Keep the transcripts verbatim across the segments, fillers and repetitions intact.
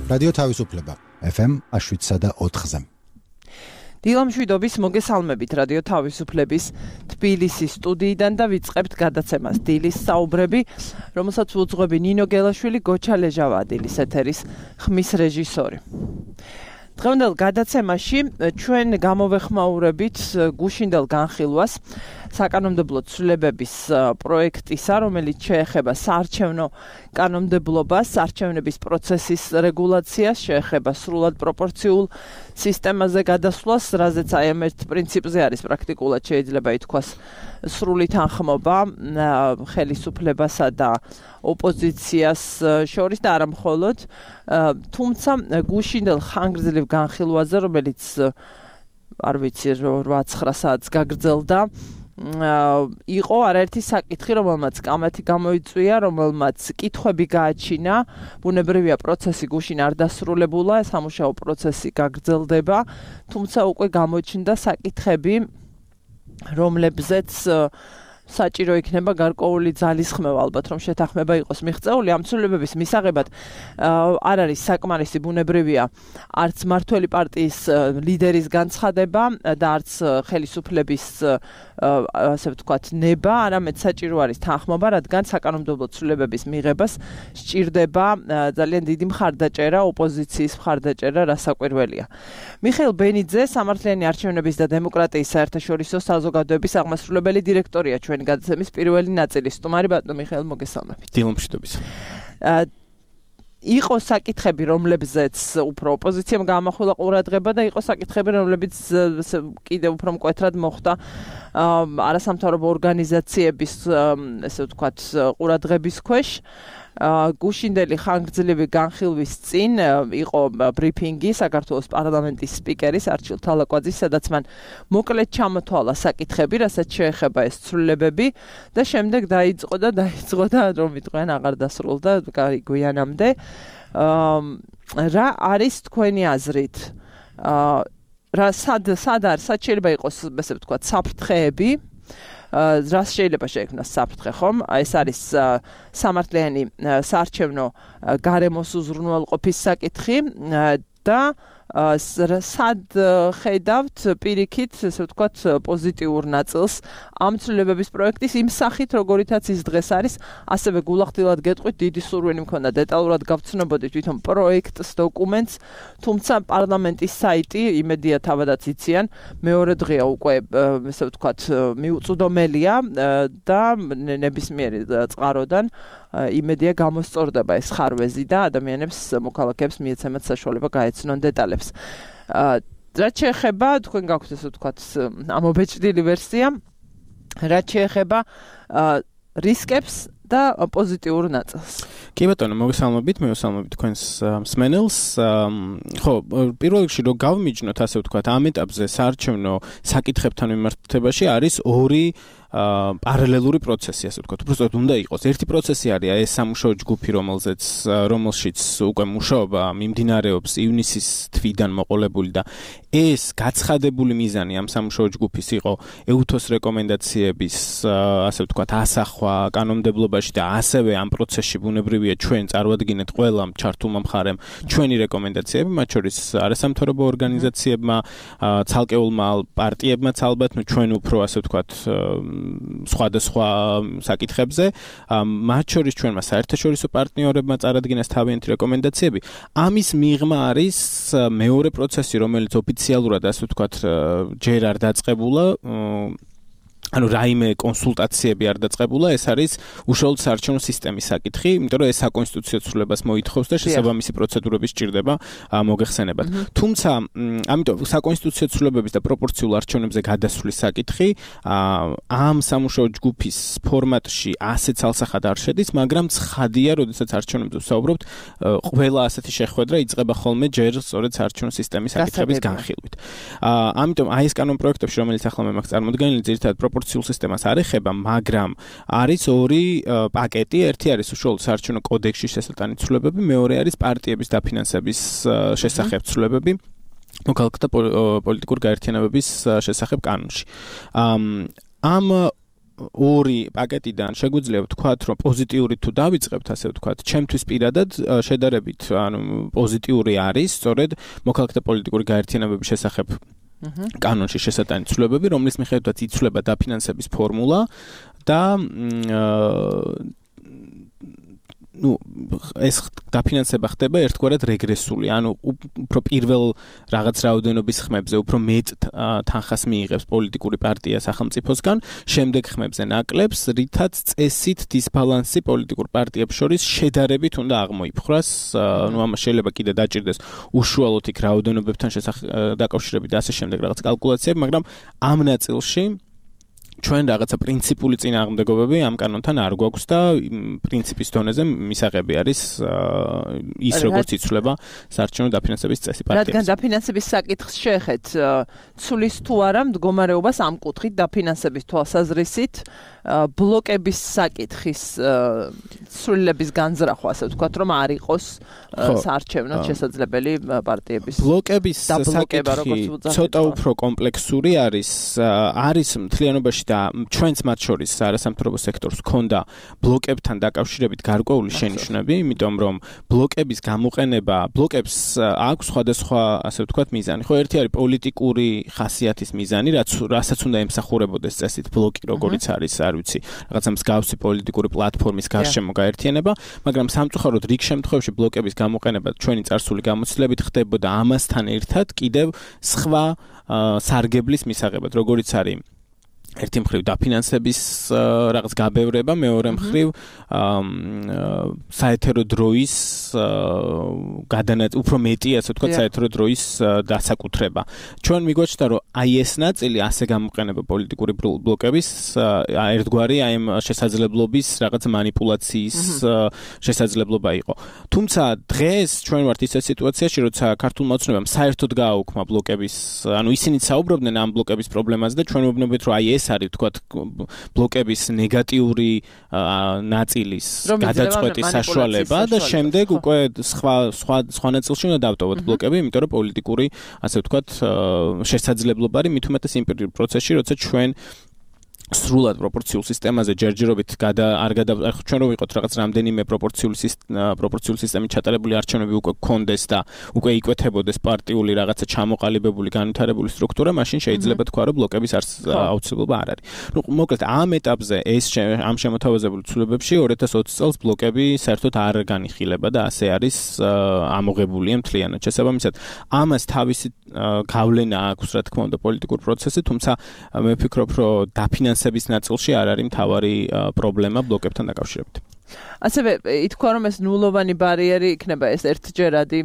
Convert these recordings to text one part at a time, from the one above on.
რადიო თავისუფლება ეფ ემ შვიდსა და ოთხზე. დილამშვიდობის მოგესალმებით რადიო თავისუფლების თბილისის სტუდიიდან და ვიწყებთ გადაცემას დილის საუბრები, რომელსაც უძღვები ნინო გელაშვილი, გოჩა ლეჟავა დილის ეთერის ხმის რეჟისორი. დღევანდელ გადაცემაში ჩვენ გამოვეხმაურებით გუშინდელ განხილვას საკანონმდებლო ცვლილებების პროექტისა, რომელიც შეეხება საარჩევნო კანონმდებლობას, არჩევნების პროცესის რეგულაციას, შეეხება სრულად პროპორციულ სისტემაზე გადასვლას, რაზეც აი ამ ერთ პრინციპზე არის პრაქტიკულად შეიძლება ითქვას სრული თანხმობა ხელისუფლებასა და ოპოზიციას შორის და არა მხოლოდ, თუმცა გუშინდელ ხანგრძლივ განხილვაზე, რომელიც არ ვიცი რვა-ცხრა საათს გაგრძელდა, იყო არაერთი საკითხი, რომელმაც კამათი გამოიწვია, რომელმაც კითხვები გააჩინა, ბუნებრივია პროცესი გუშინ არ დასრულებულა, სამუშაო პროცესი გაგრძელდება, თუმცა უკვე გამოჩნდა საკითხები, რომლებზეც საჭირო იქნება გარკვეული ძალისხმევა, ალბათ რომ შეთანხმება იყოს მიღწეული ამ ცვლილებების მისაღებად არ არის საკმარისი ბუნებრივია არც მმართველი პარტიის ლიდერის განცხადება და არც ხელისუფლების ასე ვთქვათ ნება, არამედ საჭირო არის თანხმობა, რადგან საკანონმდებლო ცვლილებების მიღებას სჭირდება ძალიან დიდი მხარდაჭერა, ოპოზიციის მხარდაჭერა, რასაკვირველია. მიხეილ ბენიძე, სამართლიანი არჩევნების და დემოკრატიის საერთაშორისო საზოგადოების აღმასრულებელი დირექტორია ჩვენი გადაცემის პირველი ნაწილის სტუმარი. ბატონო მიხეილ, მოგესალმებით. დილამშვიდობის. იყო საკითხები, რომლებზეც უფრო ოპოზიციამ გაამახვილა ყურადღება და იყო საკითხები, რომლებიც კიდევ უფრო მკვეთრად მოხვდა არასამთავრობო ორგანიზაციების, ესე ვთქვათ, ყურადღების ქვეშ. გუშინდელი ხანგრძლივი განხილვის წინ იყო ბრიფინგი საქართველოს პარლამენტის სპიკერის არჩილ თალაკვაძის, სადაც მან მოკლედ ჩამოთვალა საკითხები, რასაც შეეხება ეს ცვლილებები და შემდეგ დაიწყო და დაიწყო და რომ ვიტყვიან აღარ დასრულდა გვიანამდე. რა არის თქვენი აზრით? რა სად სად არის, სად შეიძლება იყოს, ესე ვთქვათ, საფრთხეები? რას შეიძლება შეექმნას საფრთხე, ხომ? ეს არის სამართლიანი საარჩევნო გარემოს უზრუნველყოფის საკითხი და სად ხედავთ პირიქით, ესე ვთქვათ, პოზიტიურ ნაწილს ამ ცვლილებების პროექტის იმ სახით, როგორითაც ის დღეს არის, ასევე გულახდილად გეტყვით, დიდი სურვილი მქონდა დეტალურად გავცნობოდით თვითონ პროექტს, დოკუმენტს, თუმცა პარლამენტის საიტი, იმედია თავადაც იციან, მეორე დღეა უკვე, ესე ვთქვათ, მიუწვდომელია და ნებისმიერი წყაროდან იმედია გამოსწორდება ეს ხარვეზი და ადამიანებს, მოქალაქეებს მიეცემათ საშუალება გაეცნონ დეტალებს. რაც შეეხება, თქვენ გაქვთ ესე ვთქვათ, ამობეჭდილი ვერსია, რაც შეეხება რისკებს და პოზიტიურ ნაწილს. კი ბატონო, მოგესალმებით, მევესალმებით თქვენს მსმენელს. ხო, პირველ რიგში რომ გავმიჯნოთ, ასე ვთქვათ, ამ ეტაპზე საარჩევნო საკითხებთან მიმართებაში არის ორი პარალელური პროცესი, ასე ვთქვათ. უბრალოდ უნდა იყოს. ერთი პროცესი არის ეს სამუშაო ჯგუფი, რომელზეც რომელშიც უკვე მუშაობა მიმდინარეობს ივნისის თვიდან მოყოლებული და ეს გაცხადებული მიზანი ამ სამუშაო ჯგუფის იყო ეუთოს რეკომენდაციების, ასე ვთქვათ, ასახვა კანონმდებლობაში და ასევე ამ პროცესში ბუნებრივია ჩვენ წარვადგინეთ ყველა ჩართულმა მხარემ ჩვენი რეკომენდაციები, მათ შორის არასამთავრობო ორგანიზაციებმა, ცალკეულმა პარტიებმაც ალბათ, ნუ ჩვენ უფრო ასე ვთქვათ სხვადასხვა საკითხებზე, მათ შორის ჩვენმა საერთაშორისო პარტნიორებმა წარადგინეს თავიანთი რეკომენდაციები. ამის მიღმა არის მეორე პროცესი, რომელიც ოფიციალურად, ასე ვთქვათ, ჯერ არ დაწყებულა, ანუ რაიმე კონსულტაციები არ დაწყებულა, ეს არის უშუალოდ საარჩევნო სისტემის საკითხი, იმიტომ რომ ეს საკონსტიტუციო ცვლილებას მოითხოვს და შესაბამისი პროცედურები სჭირდება მოგეხსენებათ. თუმცა, ამიტომ საკონსტიტუციო ცვლილებების და პროპორციულ არჩევნებზე გადასვლის საკითხი ამ სამუშაო ჯგუფის ფორმატში ასე ცალსახად არ შედის, მაგრამ ცხადია, როდესაც არჩევნებზე ვსაუბრობთ, ყველა ასეთი შეხვედრა იწყება ხოლმე ჯერ სწორედ საარჩევნო სისტემის საკითხების განხილვით. ამიტომ აი ეს კანონპროექტებში, რომელიც ახლა მე მაქვს წარმოდგენილი, ძირითადად პროპორციულ სისტემას არ ეხება, მაგრამ არის ორი პაკეტი, ერთი არის უშუალოდ საარჩევნო კოდექსში შესატანი ცვლილებები, მეორე არის პარტიების დაფინანსების შესახებ ცვლილებები, მოქალაქეთა პოლიტიკურ გაერთიანებების შესახებ კანონში. ამ ორი პაკეტიდან შეგვიძლია ვთქვათ, რომ პოზიტიური თუ დავიწყებთ, ასე ვთქვათ, ჩემთვის პირადად შედარებით, ანუ პოზიტიური არის, სწორედ მოქალაქეთა პოლიტიკური გაერთიანებების შესახებ კანონში შესატანი ცვლილებები, რომლის მიხედვითაც იცვლება დაფინანსების ფორმულა და ну ეს დაფინანსება ხდება ერთგვარად რეგრესული, ანუ უფრო პირველ რაღაც რაოდენობის ხმებზე უფრო მეტ თანხას მიიღებს პოლიტიკური პარტია სახელმწიფოსგან, შემდეგ ხმებზე ნაკლებს, რითაც წესით დისბალანსი პოლიტიკურ პარტიებს შორის შედარებით უნდა აღმოიფხვრას, ну ამას შეიძლება კიდე დაჭირდეს უშუალოდ იქ რაოდენობებთან დაკავშირებით და ასე შემდეგ რაღაც კალკულაციები, მაგრამ ამ ნაწილში ჩვენ რაღაცა პრინციპული წინააღმდეგობები ამ კანონთან არ გვაქვს და პრინციპის დონეზე მისაღები არის ის როგორც იცვლება საარჩევნო დაფინანსების წესი პარტიებს. რადგან დაფინანსების საკითხს შეეხეთ, ცulis თუ არა მდგომარეობას ამ კუთხით დაფინანსების თვალსაზრისით ბლოკების საკითხის ცვლილების განზრახვა, ასე ვთქვათ, რომ არ იყოს საარჩევნო შესაძლებელი პარტიების ბლოკების საკითხი ცოტა უფრო კომპლექსური არის, არის მთლიანობაში და ჩვენც მათ შორის არასამთავრობო სექტორს ჰქონდა ბლოკებთან დაკავშირებით გარკვეული შენიშვნები, იმიტომ რომ ბლოკების გამოყენება, ბლოკებს აქვს სხვადასხვა, ასე ვთქვათ, მიზანი. ხო, ერთი არის პოლიტიკური ხასიათის მიზანი, რაც რასაც უნდა ემსახურებოდეს წესით ბლოკი, როგორიც არის, არ ვიცი, რაღაცა მსგავსი პოლიტიკური პლატფორმის გარშემო გაერთიანება, მაგრამ სამწუხაროდ რიგ შემთხვევაში ბლოკების გამოყენება ჩვენი წარსული გამოცდილებით ხდებოდა ამასთან ერთად კიდევ სხვა სარგებლის მისაღებად, როგორიც არის ერთი მხრივ დაფინანსების რაღაც გაბევრება, მეორე მხრივ საეთერო დროის გადანაწილება, უფრო მეტი, ასე ვთქვათ, საეთერო დროის დასაკუთრება. ჩვენ მიგვაჩნდა, რომ აი ეს ნაწილი ასე გამოყენება პოლიტიკური ბლოკების ერთგვარი აი ამ შესაძლებლობის რაღაც манипуляციის შესაძლებლობა იყო. თუმცა დღეს ჩვენ ვართ ისეთ სიტუაციაში, როცა ქართულმა ოცნებამ საერთოდ გააუქმა ბლოკების, ანუ ისინი საუბრობდნენ ამ ბლოკების პრობლემაზე და ჩვენ ვუბნებით, რომ აი ეს არის ვთქვათ ბლოკების ნეგატიური ნაწილის გადაწყვეტის საშუალება და შემდეგ უკვე სხვა სხვა სხვა ნაწილში უნდა დავტოვოთ ბლოკები, იმიტომ რომ პოლიტიკური, ასე ვთქვათ, შესაძლებლობა არის მით უმეტეს იმ პროცესში, როცა ჩვენ სრულად პროპორციულ სისტემაზე ჯერჯერობით გადა არ გადა ჩვენ რო ვიყოთ რაღაც რამდენიმე პროპორციული პროპორციული სისტემით ჩატარებული არჩევნები უკვე გქონდეს და უკვე იკვეთებოდეს პარტიული რაღაცა ჩამოყალიბებული განვითარებული სტრუქტურა, მაშინ შეიძლება თქვა რომ ბლოკების აუცილებლობა არ არის. ნუ მოკლედ ამ ეტაპზე ეს ამ შემოთავაზებულ ცვლილებებში ორი ათას ოცი წელს ბლოკები საერთოდ არ განიხილება და ასე არის ამოღებულია მთლიანად. შესაბამისად, ამას თავისი გავლენა აქვს, რა თქმა უნდა, პოლიტიკურ პროცესზე, თუმცა მე ვფიქრობ, რომ დაფინანსების ნაწილში არ არის მთავარი პრობლემა ბლოკებთან დაკავშირებით. ასევე ითქვა, რომ ეს ნულოვანი ბარიერი იქნება ეს ერთჯერადი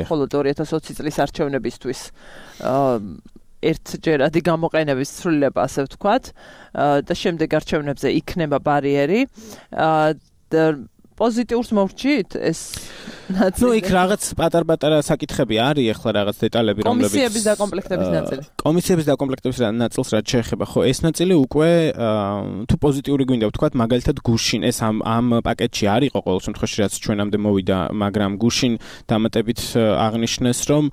მხოლოდ ორი ათას ოცი წლის არჩევნებისთვის ერთჯერადი გამოყენების ცვლილება, ასე ვთქვათ, და შემდეგ არჩევნებზე იქნება ბარიერი. პოზიტიურს მოვჭით ეს ნაწილი. ნუ იქ რაღაც პატარ-პატარა საკითხები არის, ახლა რაღაც დეტალები, რომლებიც კომისიების დაკომპლექტების ნაწილი. კომისიების დაკომპლექტების ნაწილს რაც შეეხება, ხო, ეს ნაწილი უკვე თუ პოზიტიური გვინდა ვთქვათ, მაგალითად გუშინ ეს ამ ამ პაკეტში არ იყო ყოველ შემთხვევაში, რაც ჩვენამდე მოვიდა, მაგრამ გუშინ დამატებით აღნიშნეს, რომ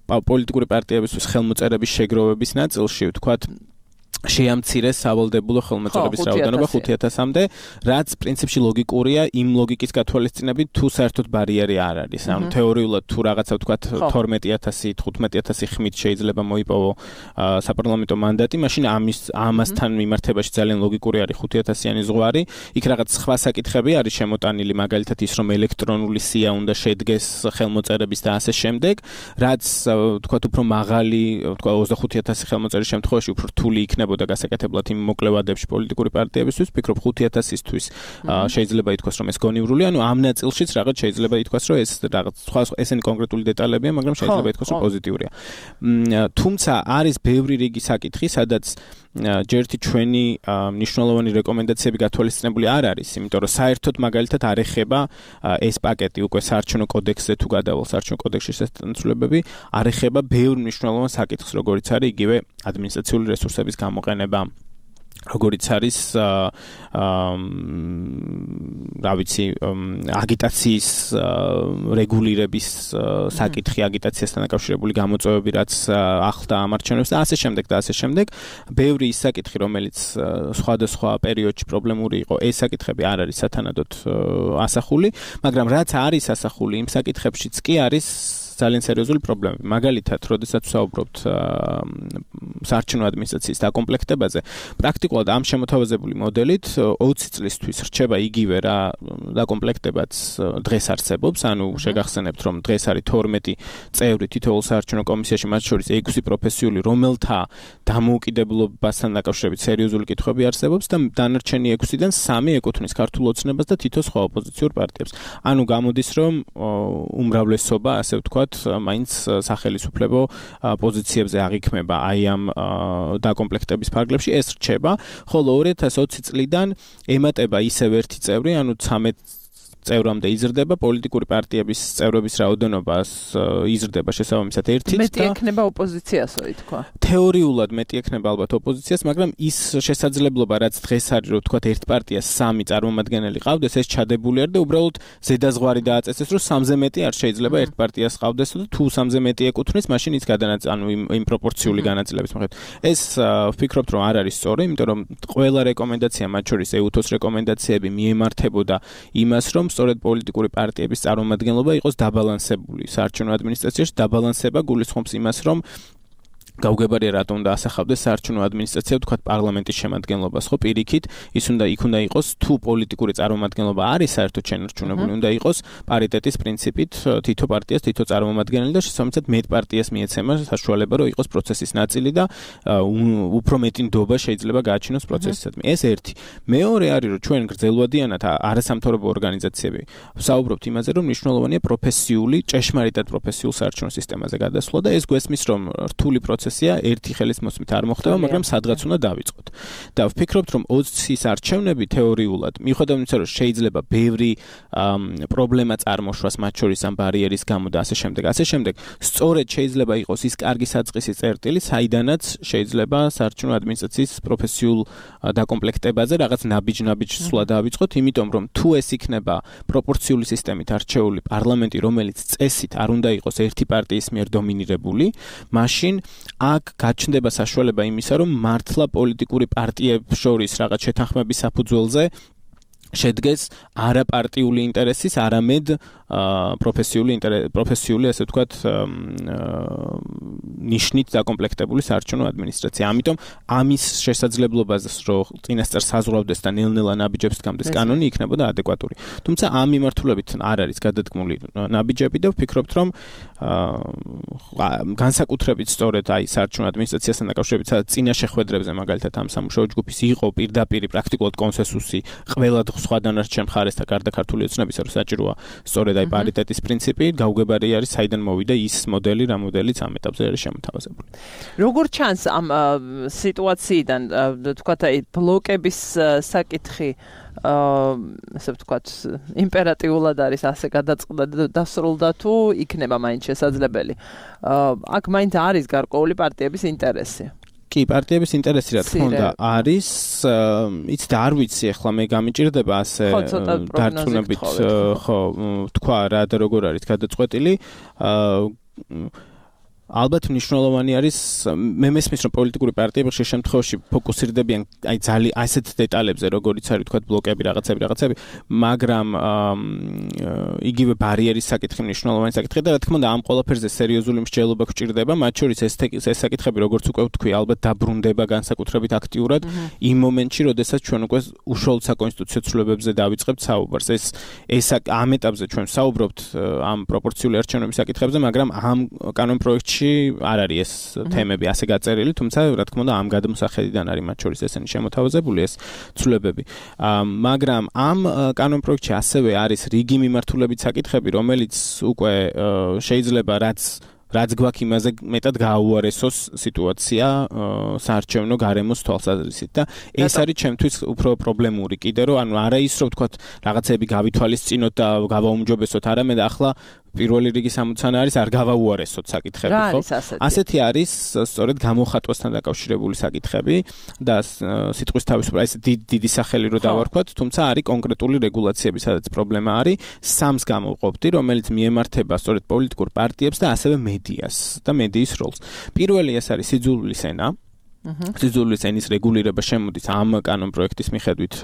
პოლიტიკური პარტიებისთვის ხელმოწერების შეგროვების ნაწილში ვთქვათ შეამცირეს სავალდებულო ხელმოწერების რაოდენობა ხუთი ათასამდე, რაც პრინციპში ლოგიკურია იმ ლოგიკის გათვალისწინებით, თუ საერთოდ ბარიერი არ არის. ანუ თეორიულად თუ რაღაცა ვთქვათ თორმეტი ათასი, თხუთმეტი ათასი ხმით შეიძლება მოიპოვო საპარლამენტო მანდატი, მაშინ ამის ამასთან მიმართებაში ძალიან ლოგიკური არის ხუთი ათასიანი ზღვარი. იქ რაღაც სხვა საკითხები არის შემოტანილი, მაგალითად ის, რომ ელექტრონული სია უნდა შედგეს ხელმოწერების და ასე შემდეგ, რაც ვთქვათ უფრო მაღალი, ვთქვათ ოცდახუთი ათასი ხელმოწერის შემთხვევაში უფრო რთული იქნება და გასაკეთებლად იმ მოკლევადებში პოლიტიკური პარტიებისთვის, ვფიქრობ ხუთი ათასისთვის შეიძლება ითქვას, რომ ეს გონივრული, ანუ ამ ნაწილშიც რაღაც შეიძლება ითქვას, რომ ეს რაღაც სხვა ესენი კონკრეტული დეტალებია, მაგრამ შეიძლება ითქვას, რომ პოზიტიურია. თუმცა არის ბევრი რიგი საკითხი, სადაც ჯერთი ჩვენი მნიშვნელოვანი რეკომენდაციები გათვალისწინებული არ არის, იმიტომ რომ საერთოდ მაგალითად არ ეხება ეს პაკეტი უკვე საარჩევნო კოდექსზე თუ გადავალ საარჩევნო კოდექსში შესაძლებლობები, არ ეხება ბევრ მნიშვნელოვან საკითხს, როგორიც არის იგივე ადმინისტრაციული რესურსების გამოყენება, როგორც არის რა ვიცი აგიტაციის რეგულირების საკითხი, აგიტაციასთან დაკავშირებული გამოწვევები, რაც ახლდა ამ არჩევნებს და ასე შემდეგ და ასე შემდეგ. ბევრი ის საკითხი, რომელიც სხვადასხვა პერიოდში პრობლემური იყო, ეს საკითხები არ არის სათანადოდ ასახული, მაგრამ რაც არის ასახული იმ საკითხებშიც კი არის ძალიან სერიოზული პრობლემები. მაგალითად, როდესაც ვსაუბრობთ საარჩევნო ადმინისტრაციის დაკომპლექტებაზე, პრაქტიკულად ამ შემოთავაზებული მოდელით ოცი წლისთვის რჩება იგივე რა დაკომპლექტებაც დღეს არსებობს, ანუ შეგახსენებთ, რომ დღეს არის თორმეტი წევრი თითოეულ საარჩევნო კომისიაში, მათ შორის ექვსი პროფესიული, რომელთა დამოუკიდებლობასთან დაკავშირებით სერიოზული კითხვები არსებობს და დანარჩენი ექვსიდან სამი ეკუთვნის ქართულ ოცნებას და თითო სხვა ოპოზიციურ პარტიებს. ანუ გამოდის, რომ უმრავლესობა, ასე ვთქვათ, მაინც სახელისუფლებო პოზიციებზე აღიქმება აი ამ დაკომპლექტების ფარგლებში, ეს რჩება, ხოლო ორი ათას ოცი წლიდან ემატება ისევ ერთი წევრი, ანუ ცამეტ წევრამდე იზრდება პოლიტიკური პარტიების წევრების რაოდენობას იზრდება შესაბამისად ერთით და მეტი ექნება ოპოზიციასო ითქვა. თეორიულად მეტი ექნება ალბათ ოპოზიციას, მაგრამ ის შესაძლებლობა, რაც დღეს არის, რომ ვთქვათ ერთ პარტიას სამი წარმომადგენელი ყავდეს, ეს ჩადებული არის და უბრალოდ ზედაზღვარი დააწესეს, რომ სამზე მეტი არ შეიძლება ერთ პარტიას ყავდეს და თუ სამზე მეტი ეკუთვნის, მაშინ ის გადანაწილება, ანუ იმ პროპორციული განაწილების მიხედვით. ეს ვფიქრობთ, რომ არ არის სწორი, იმიტომ რომ ყველა რეკომენდაცია, მათ შორის ეუთოს რეკომენდაციები მიემართებოდა იმას, რომ სწორედ პოლიტიკური პარტიების წარმომადგენლობა იყოს დაბალანსებული. საარჩევნო ადმინისტრაციაში დაბალანსება გულისხმობს იმას, რომ გაუგებარია რატომ უნდა ასახავდეს საარჩევნო ადმინისტრაცია, ვთქვათ, პარლამენტის შემადგენლობას, ხო, პირიქით, ის უნდა იქ უნდა იყოს, თუ პოლიტიკური წარმომადგენლობა არის საერთოდ შენარჩუნებული, უნდა იყოს პარიტეტის პრინციპით, თითო პარტიას თითო წარმომადგენელი და შესაბამისად მეტ პარტიას მიეცემა საშუალება, რომ იყოს პროცესის ნაწილი და უფრო მეტი ნდობა შეიძლება გააჩინოს პროცესისადმი. ეს ერთი. მეორე არის, რომ ჩვენ გრძელვადიანად არასამთავრობო ორგანიზაციები ვსაუბრობთ იმაზე, რომ მნიშვნელოვანია პროფესიული, ჭეშმარიტად პროფესიულ საარჩევნო სისტემაზე გადასვლა და ეს გვესმის, რომ რთული პროცესი ერთი ხელის მოსმით არ მოხდება, მაგრამ სადღაც უნდა დავიწყოთ. და ვფიქრობთ, რომ ოცის არჩევნები თეორიულად, მიუხედავად იმისა, რომ შეიძლება ბევრი პრობლემა წარმოშვას მათ შორის ამ ბარიერის გამო და ასე შემდეგ, ასე შემდეგ, სწორედ შეიძლება იყოს ის კარგი საწყისი წერტილი, საიდანაც შეიძლება საარჩევნო ადმინისტრაციის პროფესიულ დაკომპლექტებაზე რაღაც ნაბიჯ-ნაბიჯ სვლა დავიწყოთ, იმიტომ რომ თუ ეს იქნება პროპორციული სისტემით არჩეული პარლამენტი, რომელიც წესით არ უნდა იყოს ერთი პარტიის მიერ დომინირებული, მაშინ აქ გაჩნდება საშუალება იმისა, რომ მართლა პოლიტიკური პარტიებს შორის რაღაც შეთანხმების საფუძველზე შედგეს არაპარტიული ინტერესის, არამედ პროფესიული პროფესიული, ასე ვთქვათ, ნიშნით დაკომპლექტებული საარჩევნო ადმინისტრაცია. ამიტომ ამის შესაძლებლობაზე, რომ წინასწარ საზღვრავდეს და ნელ-ნელა ნაბიჯებს გამდეს კანონი, იქნებოდა ადეკვატური. თუმცა ამ მიმართულებით არ არის გადადგმული ნაბიჯები და ვფიქრობთ, რომ განსაკუთრებით სწორედ აი საარჩევნო ადმინისტრაციასთან დაკავშირებით, სადაც წინა შეხვედრებზე მაგალითად ამ სამუშაო ჯგუფის იყო პირდაპირ პრაქტიკულად კონსენსუსი ყველა სხვა დანარჩენ მხარესთან გარდა ქართული ოცნებისა, რომ საჭიროა სწორედ აი პარიტეტის პრინციპი, გაუგებარი არის საიდან მოვიდა ის მოდელი, რა მოდელიც ამ ეტაპზე არის შემოთავაზებული. როგორ ჩანს ამ სიტუაციიდან, თქვათ, აი ბლოკების საკითხი ასე ვთქვათ, იმპერატიულად არის ასე გადაწყდა და დასრულდა თუ იქნება მაინც შესაძლებელი. აქ მაინც არის გარკვეული პარტიების ინტერესი. კი, პარტიების ინტერესი რა თქმა უნდა არის, იც და არ ვიცი, ახლა მე გამიჭირდება ასე დარწმუნებით, ხო, თქვა რა და როგორ არის გადაწყვეტილი. ალბათ მნიშვნელოვანი არის, მე მესმის, რომ პოლიტიკური პარტიები ხშირ შემთხვევაში ფოკუსირდებიან აი ძალიან ასეთ დეტალებზე, როგორიც არის თქვა ბლოკები, რაღაცები, რაღაცები, მაგრამ იგივე ბარიერის საკითხი მნიშვნელოვანი საკითხია და რა თქმა უნდა ამ ყველაფერზე სერიოზული მსჯელობა გვჭირდება, მათ შორის ეს ეს საკითხები, როგორც უკვე ვთქვი, ალბათ დაბრუნდება განსაკუთრებით აქტიურად იმ მომენტში, როდესაც ჩვენ უკვე უშუალოდ საკონსტიტუციო ცვლილებებზე დავიწყებთ საუბარს. ეს ეს ამ ეტაპზე ჩვენ საუბრობთ ამ პროპორციული არჩევნების საკითხებზე, მაგრამ ამ კანონ პროექტში არ არის ეს თემები ასე გაწერილი, თუმცა რა თქმა უნდა ამ გადმოსახედიდან არის მათ შორის ესენი შემოთავაზებული ეს ცვლილებები. მაგრამ ამ კანონ პროექტში ასევე არის რიგი მიმართულებით საკითხები, რომელიც უკვე შეიძლება რაც რაც გვაქვს იმაზე მეტად გააუარესოს სიტუაცია საარჩევნო გარემოს თვალსაზრისით და ეს არის ჩემთვის უფრო პრობლემური კიდე, რომ ანუ არა ის რომ ვთქვათ რაღაცები გავითვალისწინოთ და გავაუმჯობესოთ, არამედ ახლა პირველი რიგის ამოცანა არის არ გავაუარესოთ საკითხები, ხო? ასეთი არის სწორედ გამოხატვასთან დაკავშირებული საკითხები და სიტყვის თავისუფლება, ეს დიდი სახელი რო დავარქვათ, თუმცა არის კონკრეტული რეგულაციები, სადაც პრობლემა არის, სამს გამოვყოფდი, რომელიც მიემართება სწორედ პოლიტიკურ პარტიებს და ასევე მედიას და მედიის როლს. პირველი ეს არის სიძულვილის ენა. სიძულვილის ენის რეგულირება შემოდის ამ კანონპროექტის მიხედვით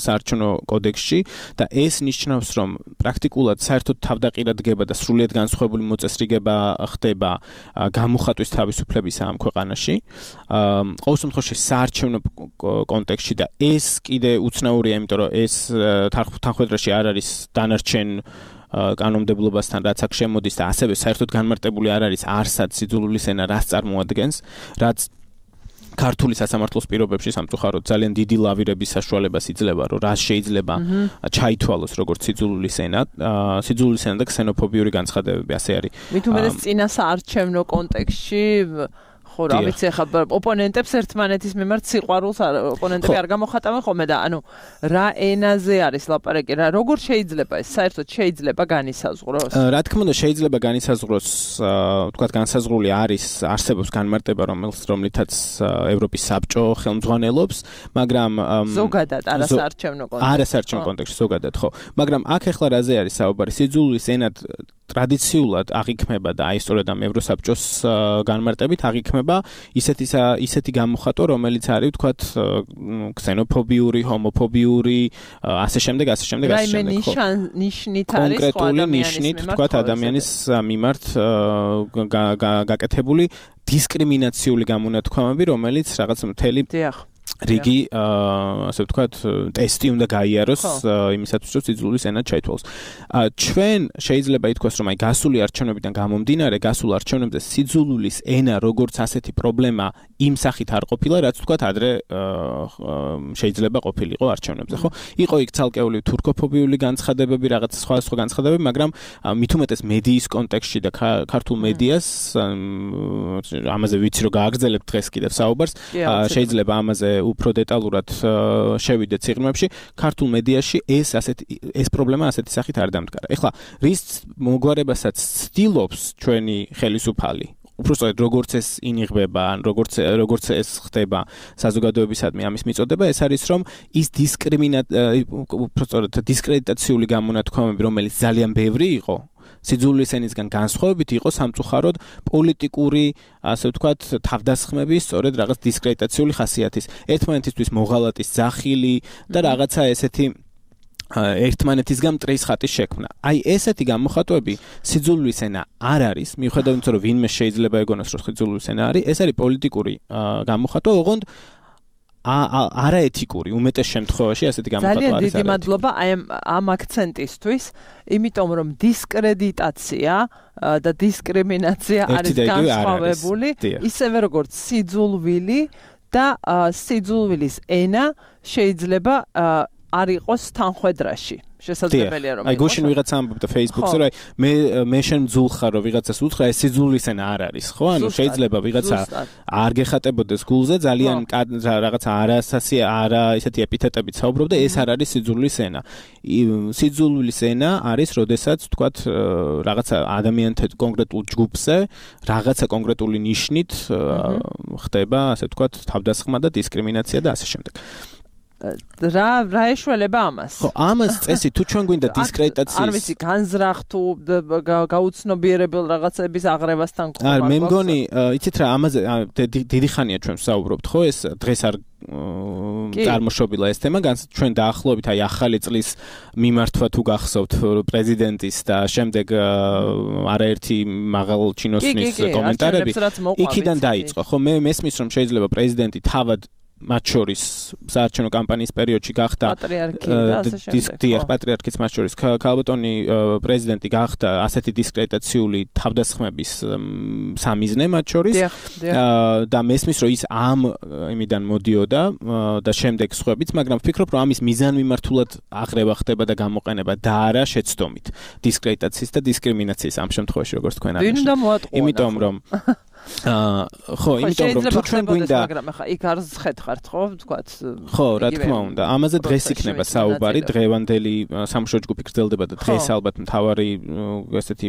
საარჩევნო კოდექსში და ეს ნიშნავს, რომ პრაქტიკულად საერთოდ თავდაყირად დგება და სრულიად განსხვავებული მოწესრიგება ხდება გამოხატვის თავისუფლების ამ ქვეყანაში. ყოველ შემთხვევაში საარჩევნო კონტექსში და ეს კიდე უცნაურია, იმიტომ რომ ეს თანხმდამჭერში არ არის დანარჩენ კანონმდებლობასთან რაც აქ შემოდის და ასევე საერთოდ განმარტებული არ არის არსად სიძულვილის ენა რას წარმოადგენს, რაც ქართული სასამართლოს პირობებში სამწუხაროდ ძალიან დიდი ლავირების საშუალებას იძლევა, რომ რა შეიძლება ჩაითვალოს როგორც სიძულვილის ენა, სიძულვილის ენა და ქსენოფობიური განცხადებები, ასე არის. მით უმეტეს წინა საარჩევნო კონტექსტში ხო რა ვიცი ახლა ოპონენტებს ერთმანეთის მიმართ სიყვარულს ოპონენტები არ გამოხატავენ ხოლმე და ანუ რა ენაზე არის ლაპარაკი რა როგორ შეიძლება ეს საერთოდ შეიძლება განისაზღვროს? რა თქმა უნდა შეიძლება განისაზღვროს, ვთქვათ განსაზღვრული არის არსებობს განმარტება რომელს რომლითაც ევროპის საბჭო ხელმძღვანელობს, მაგრამ ზოგადად არასაარჩევნო კონტექსტში. არასაარჩევნო კონტექსტში ზოგადად ხო. მაგრამ აქ ახლა რაზე არის საუბარი? სიძულვილის ენად ტრადიციულად აღიქმება და აი სწორედ ამ ევროსაბჭოს განმარტებით აღიქმება ისეთი ისეთი გამოხატვა, რომელიც არის ვთქვათ ქსენოფობიური, ჰომოფობიური, ასე შემდეგ, ასე შემდეგ, ასე შემდეგ. რაიმე ნიშნით არის კონკრეტული ნიშნით ვთქვათ ადამიანის მიმართ გაკეთებული დისკრიმინაციული გამონათქვამები, რომელიც რაღაც მთელი რიგი ასე ვთქვათ ტესტი უნდა გაიაროს იმისათვის რომ სიძულვილის ენა ჩაითვალოს. ჩვენ შეიძლება ითქვას რომ აი გასული არჩევნებიდან გამომდინარე გასულ არჩევნებზე სიძულვილის ენა როგორც ასეთი პრობლემა იმ სახით არ ყოფილა რაც ვთქვათ ადრე შეიძლება ყოფილიყო არჩევნებზე, ხო? იყო იქ ცალკეული თურქოფობიული განცხადებები, რაღაც სხვა სხვა განცხადებები, მაგრამ მით უმეტეს მედიის კონტექსტში და ქართულ მედიას ამაზე ვიცი რომ გააგრძელებთ დღეს კიდევ საუბარს, შეიძლება ამაზე უფრო დეტალურად შევიდეთ სიღრმეებში, ქართულ მედიაში ეს ასეთი ეს პრობლემა ასეთი სახით არ დამდგარა. ეხლა რის მოგვარებასაც ცდილობს ჩვენი ხელისუფალი უბრალოდ როგორც ეს ინიღბება, ან როგორც როგორც ეს ხდება საზოგადოებისადმი ამის მიწოდება, ეს არის რომ ის დისკრიმინა უბრალოდ დისკრედიტაციული გამონათქვამები, რომელიც ძალიან ბევრი იყო, სიძულვილის ენისგან განსხვავებით იყო სამწუხაროდ პოლიტიკური, ასე ვთქვათ, თავდასხმების, სწორედ რაღაც დისკრედიტაციული ხასიათის, ერთმანეთისთვის მოღალატის ძახილი და რაღაცა ესეთი ერთმანეთისგან მტრის ხატის შექმნა. აი ესეთი გამოხატვები სიძულვილის ენა არ არის, მიუხედავად იმისა, რომ ვინმე შეიძლება ეგონოს, რომ სიძულვილის ენა არის, ეს არის პოლიტიკური გამოხატვა, ოღონდ არაეთიკური უმეტეს შემთხვევაში ასეთი გამოხატვა არის. ძალიან დიდი მადლობა აი ამ აქცენტისთვის, იმიტომ რომ დისკრედიტაცია და დისკრიმინაცია არის განსხვავებული, ისევე როგორც სიძულვილი და სიძულვილის ენა შეიძლება არ იყოს თანხვედრაში. შესაძლებელია რომ აი გუშინ ვიღაცა ამბობდა Facebook-ზე, რომ მე მე შენ ძულხარ რომ ვიღაცას უთხრა, ეს სიძულვილის ენა არ არის, ხო? ანუ შეიძლება ვიღაცა არ გეხატებოდეს გულზე, ძალიან რაღაცა არასასი არა ისეთი ეპითეტებით საუბრობდა, ეს არ არის სიძულვილის ენა. სიძულვილის ენა არის, როდესაც ვთქვათ რაღაცა ადამიანთა კონკრეტულ ჯგუფზე, რაღაცა კონკრეტული ნიშნით ხდება, ასე ვთქვათ, თავდასხმა და დისკრიმინაცია და ასე შემდეგ. რა რა ეშველება ამას? ხო, ამას წესი თუ ჩვენ გვინდა დისკრედიტაციის არ ვიცი, განზრახ თუ გაუცნობიერებელ რაღაცების აღრევასთან ყოლა. არ მე მგონი, იცით რა, ამაზე დიდი ხანია ჩვენ ვსაუბრობთ, ხო? ეს დღეს არ წარმოშობილა ეს თემა, ჩვენ დაახლოებით აი ახალი წლის მიმართვა თუ გახსოვთ პრეზიდენტის და შემდეგ არაერთი მაღალ ჩინოსნის კომენტარები იქიდან დაიწყო. ხო, მე მესმის რომ შეიძლება პრეზიდენტი თავად მათ შორის საარჩევნო კამპანიის პერიოდში გახდა დისკრედიტაცია პატრიარქის მათ შორის ქალბატონი პრეზიდენტი გახდა ასეთი დისკრედიტაციული თავდასხმების სამიზნე მათ შორის და მესმის რომ ის ამ იმიდან მოდიოდა და შემდეგ სხვაებიც, მაგრამ ვფიქრობ რომ ამის მიზანმიმართულად აღრევა ხდება და გამოყენება და არა შეცდომით დისკრედიტაციის და დისკრიმინაციის ამ შემთხვევაში როგორც თქვენ აღნიშნეთ. იმიტომ რომ აა ხო, იმიტომ რომ თუ ჩვენ გვინდა მაგრამ ახლა იქ არ ზხეთხართ, ხო, ვთქვათ. ხო, რა თქმა უნდა. ამაზე დღეს იქნება საუბარი, დღევანდელი სამშობლო ჯგუფი გრძელდება და დღეს ალბათ მთავარი ესეთი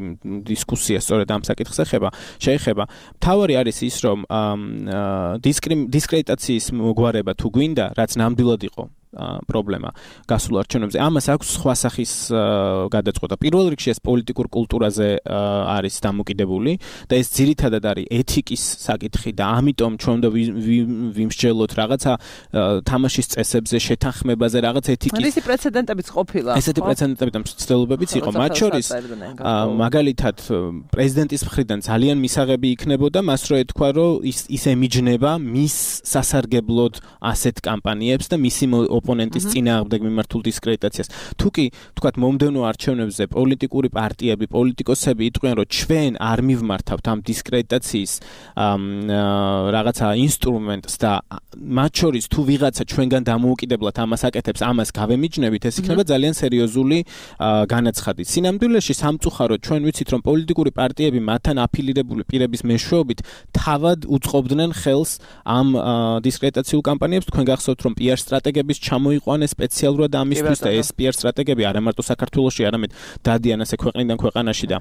დისკუსია სწორედ ამ საკითხს ეხება, შეეხება. მთავარი არის ის, რომ დისკრედიტაციის მოგვარება თუ გვინდა, რაც ნამდვილად იყო პრობლემა გასულ არჩევნებზე. ამას აქვს სხვა სახის გადაწყვეტა. პირველ რიგში ეს პოლიტიკურ კულტურაზე არის დამოკიდებული და ეს ძირითადად არის ეთიკის საკითხი და ამიტომ ჩვენ უნდა ვიმსჯელოთ რაღაცა თამაშის წესებზე, შეთანხმებაზე, რაღაც ეთიკის. ისეთი პრეცედენტებიც ყოფილა. ესეთი პრეცედენტები და მცდელობებიც იყო. მათ შორის მაგალითად პრეზიდენტის მხრიდან ძალიან მისაღები იქნებოდა მას რო ეთქვა, რომ ის ის ემიჯნება მის სასარგებლოდ ასეთ კამპანიებს და მისი ოპონენტის წინააღმდეგ მიმართულ დისკრედიტაციას. თუკი, თქვათ, მომდევნო არჩევნებზე პოლიტიკური პარტიები, პოლიტიკოსები იტყვიან, რომ ჩვენ არ მივმართავთ ამ დისკრედიტაციის რაღაცა ინსტრუმენტს და მათ შორის თუ ვიღაცა ჩვენგან დამოუკიდებლად ამას აკეთებს, ამას გავემიჯნებით, ეს იქნება ძალიან სერიოზული განაცხადი. სინამდვილეში სამწუხაროდ ჩვენ ვიცით, რომ პოლიტიკური პარტიები მათთან აფილირებული პირების მეშვეობით თავად უწყობდნენ ხელს ამ დისკრედიტაციულ კამპანიებს. თქვენ გახსოვთ, რომ პიარ სტრატეგების ჩამოიყვანეს სპეციალურად ამისთვის და ეს პიარ სტრატეგები არა მარტო საქართველოში, არამედ დადიან ასე ქვეყნიდან ქვეყანაში და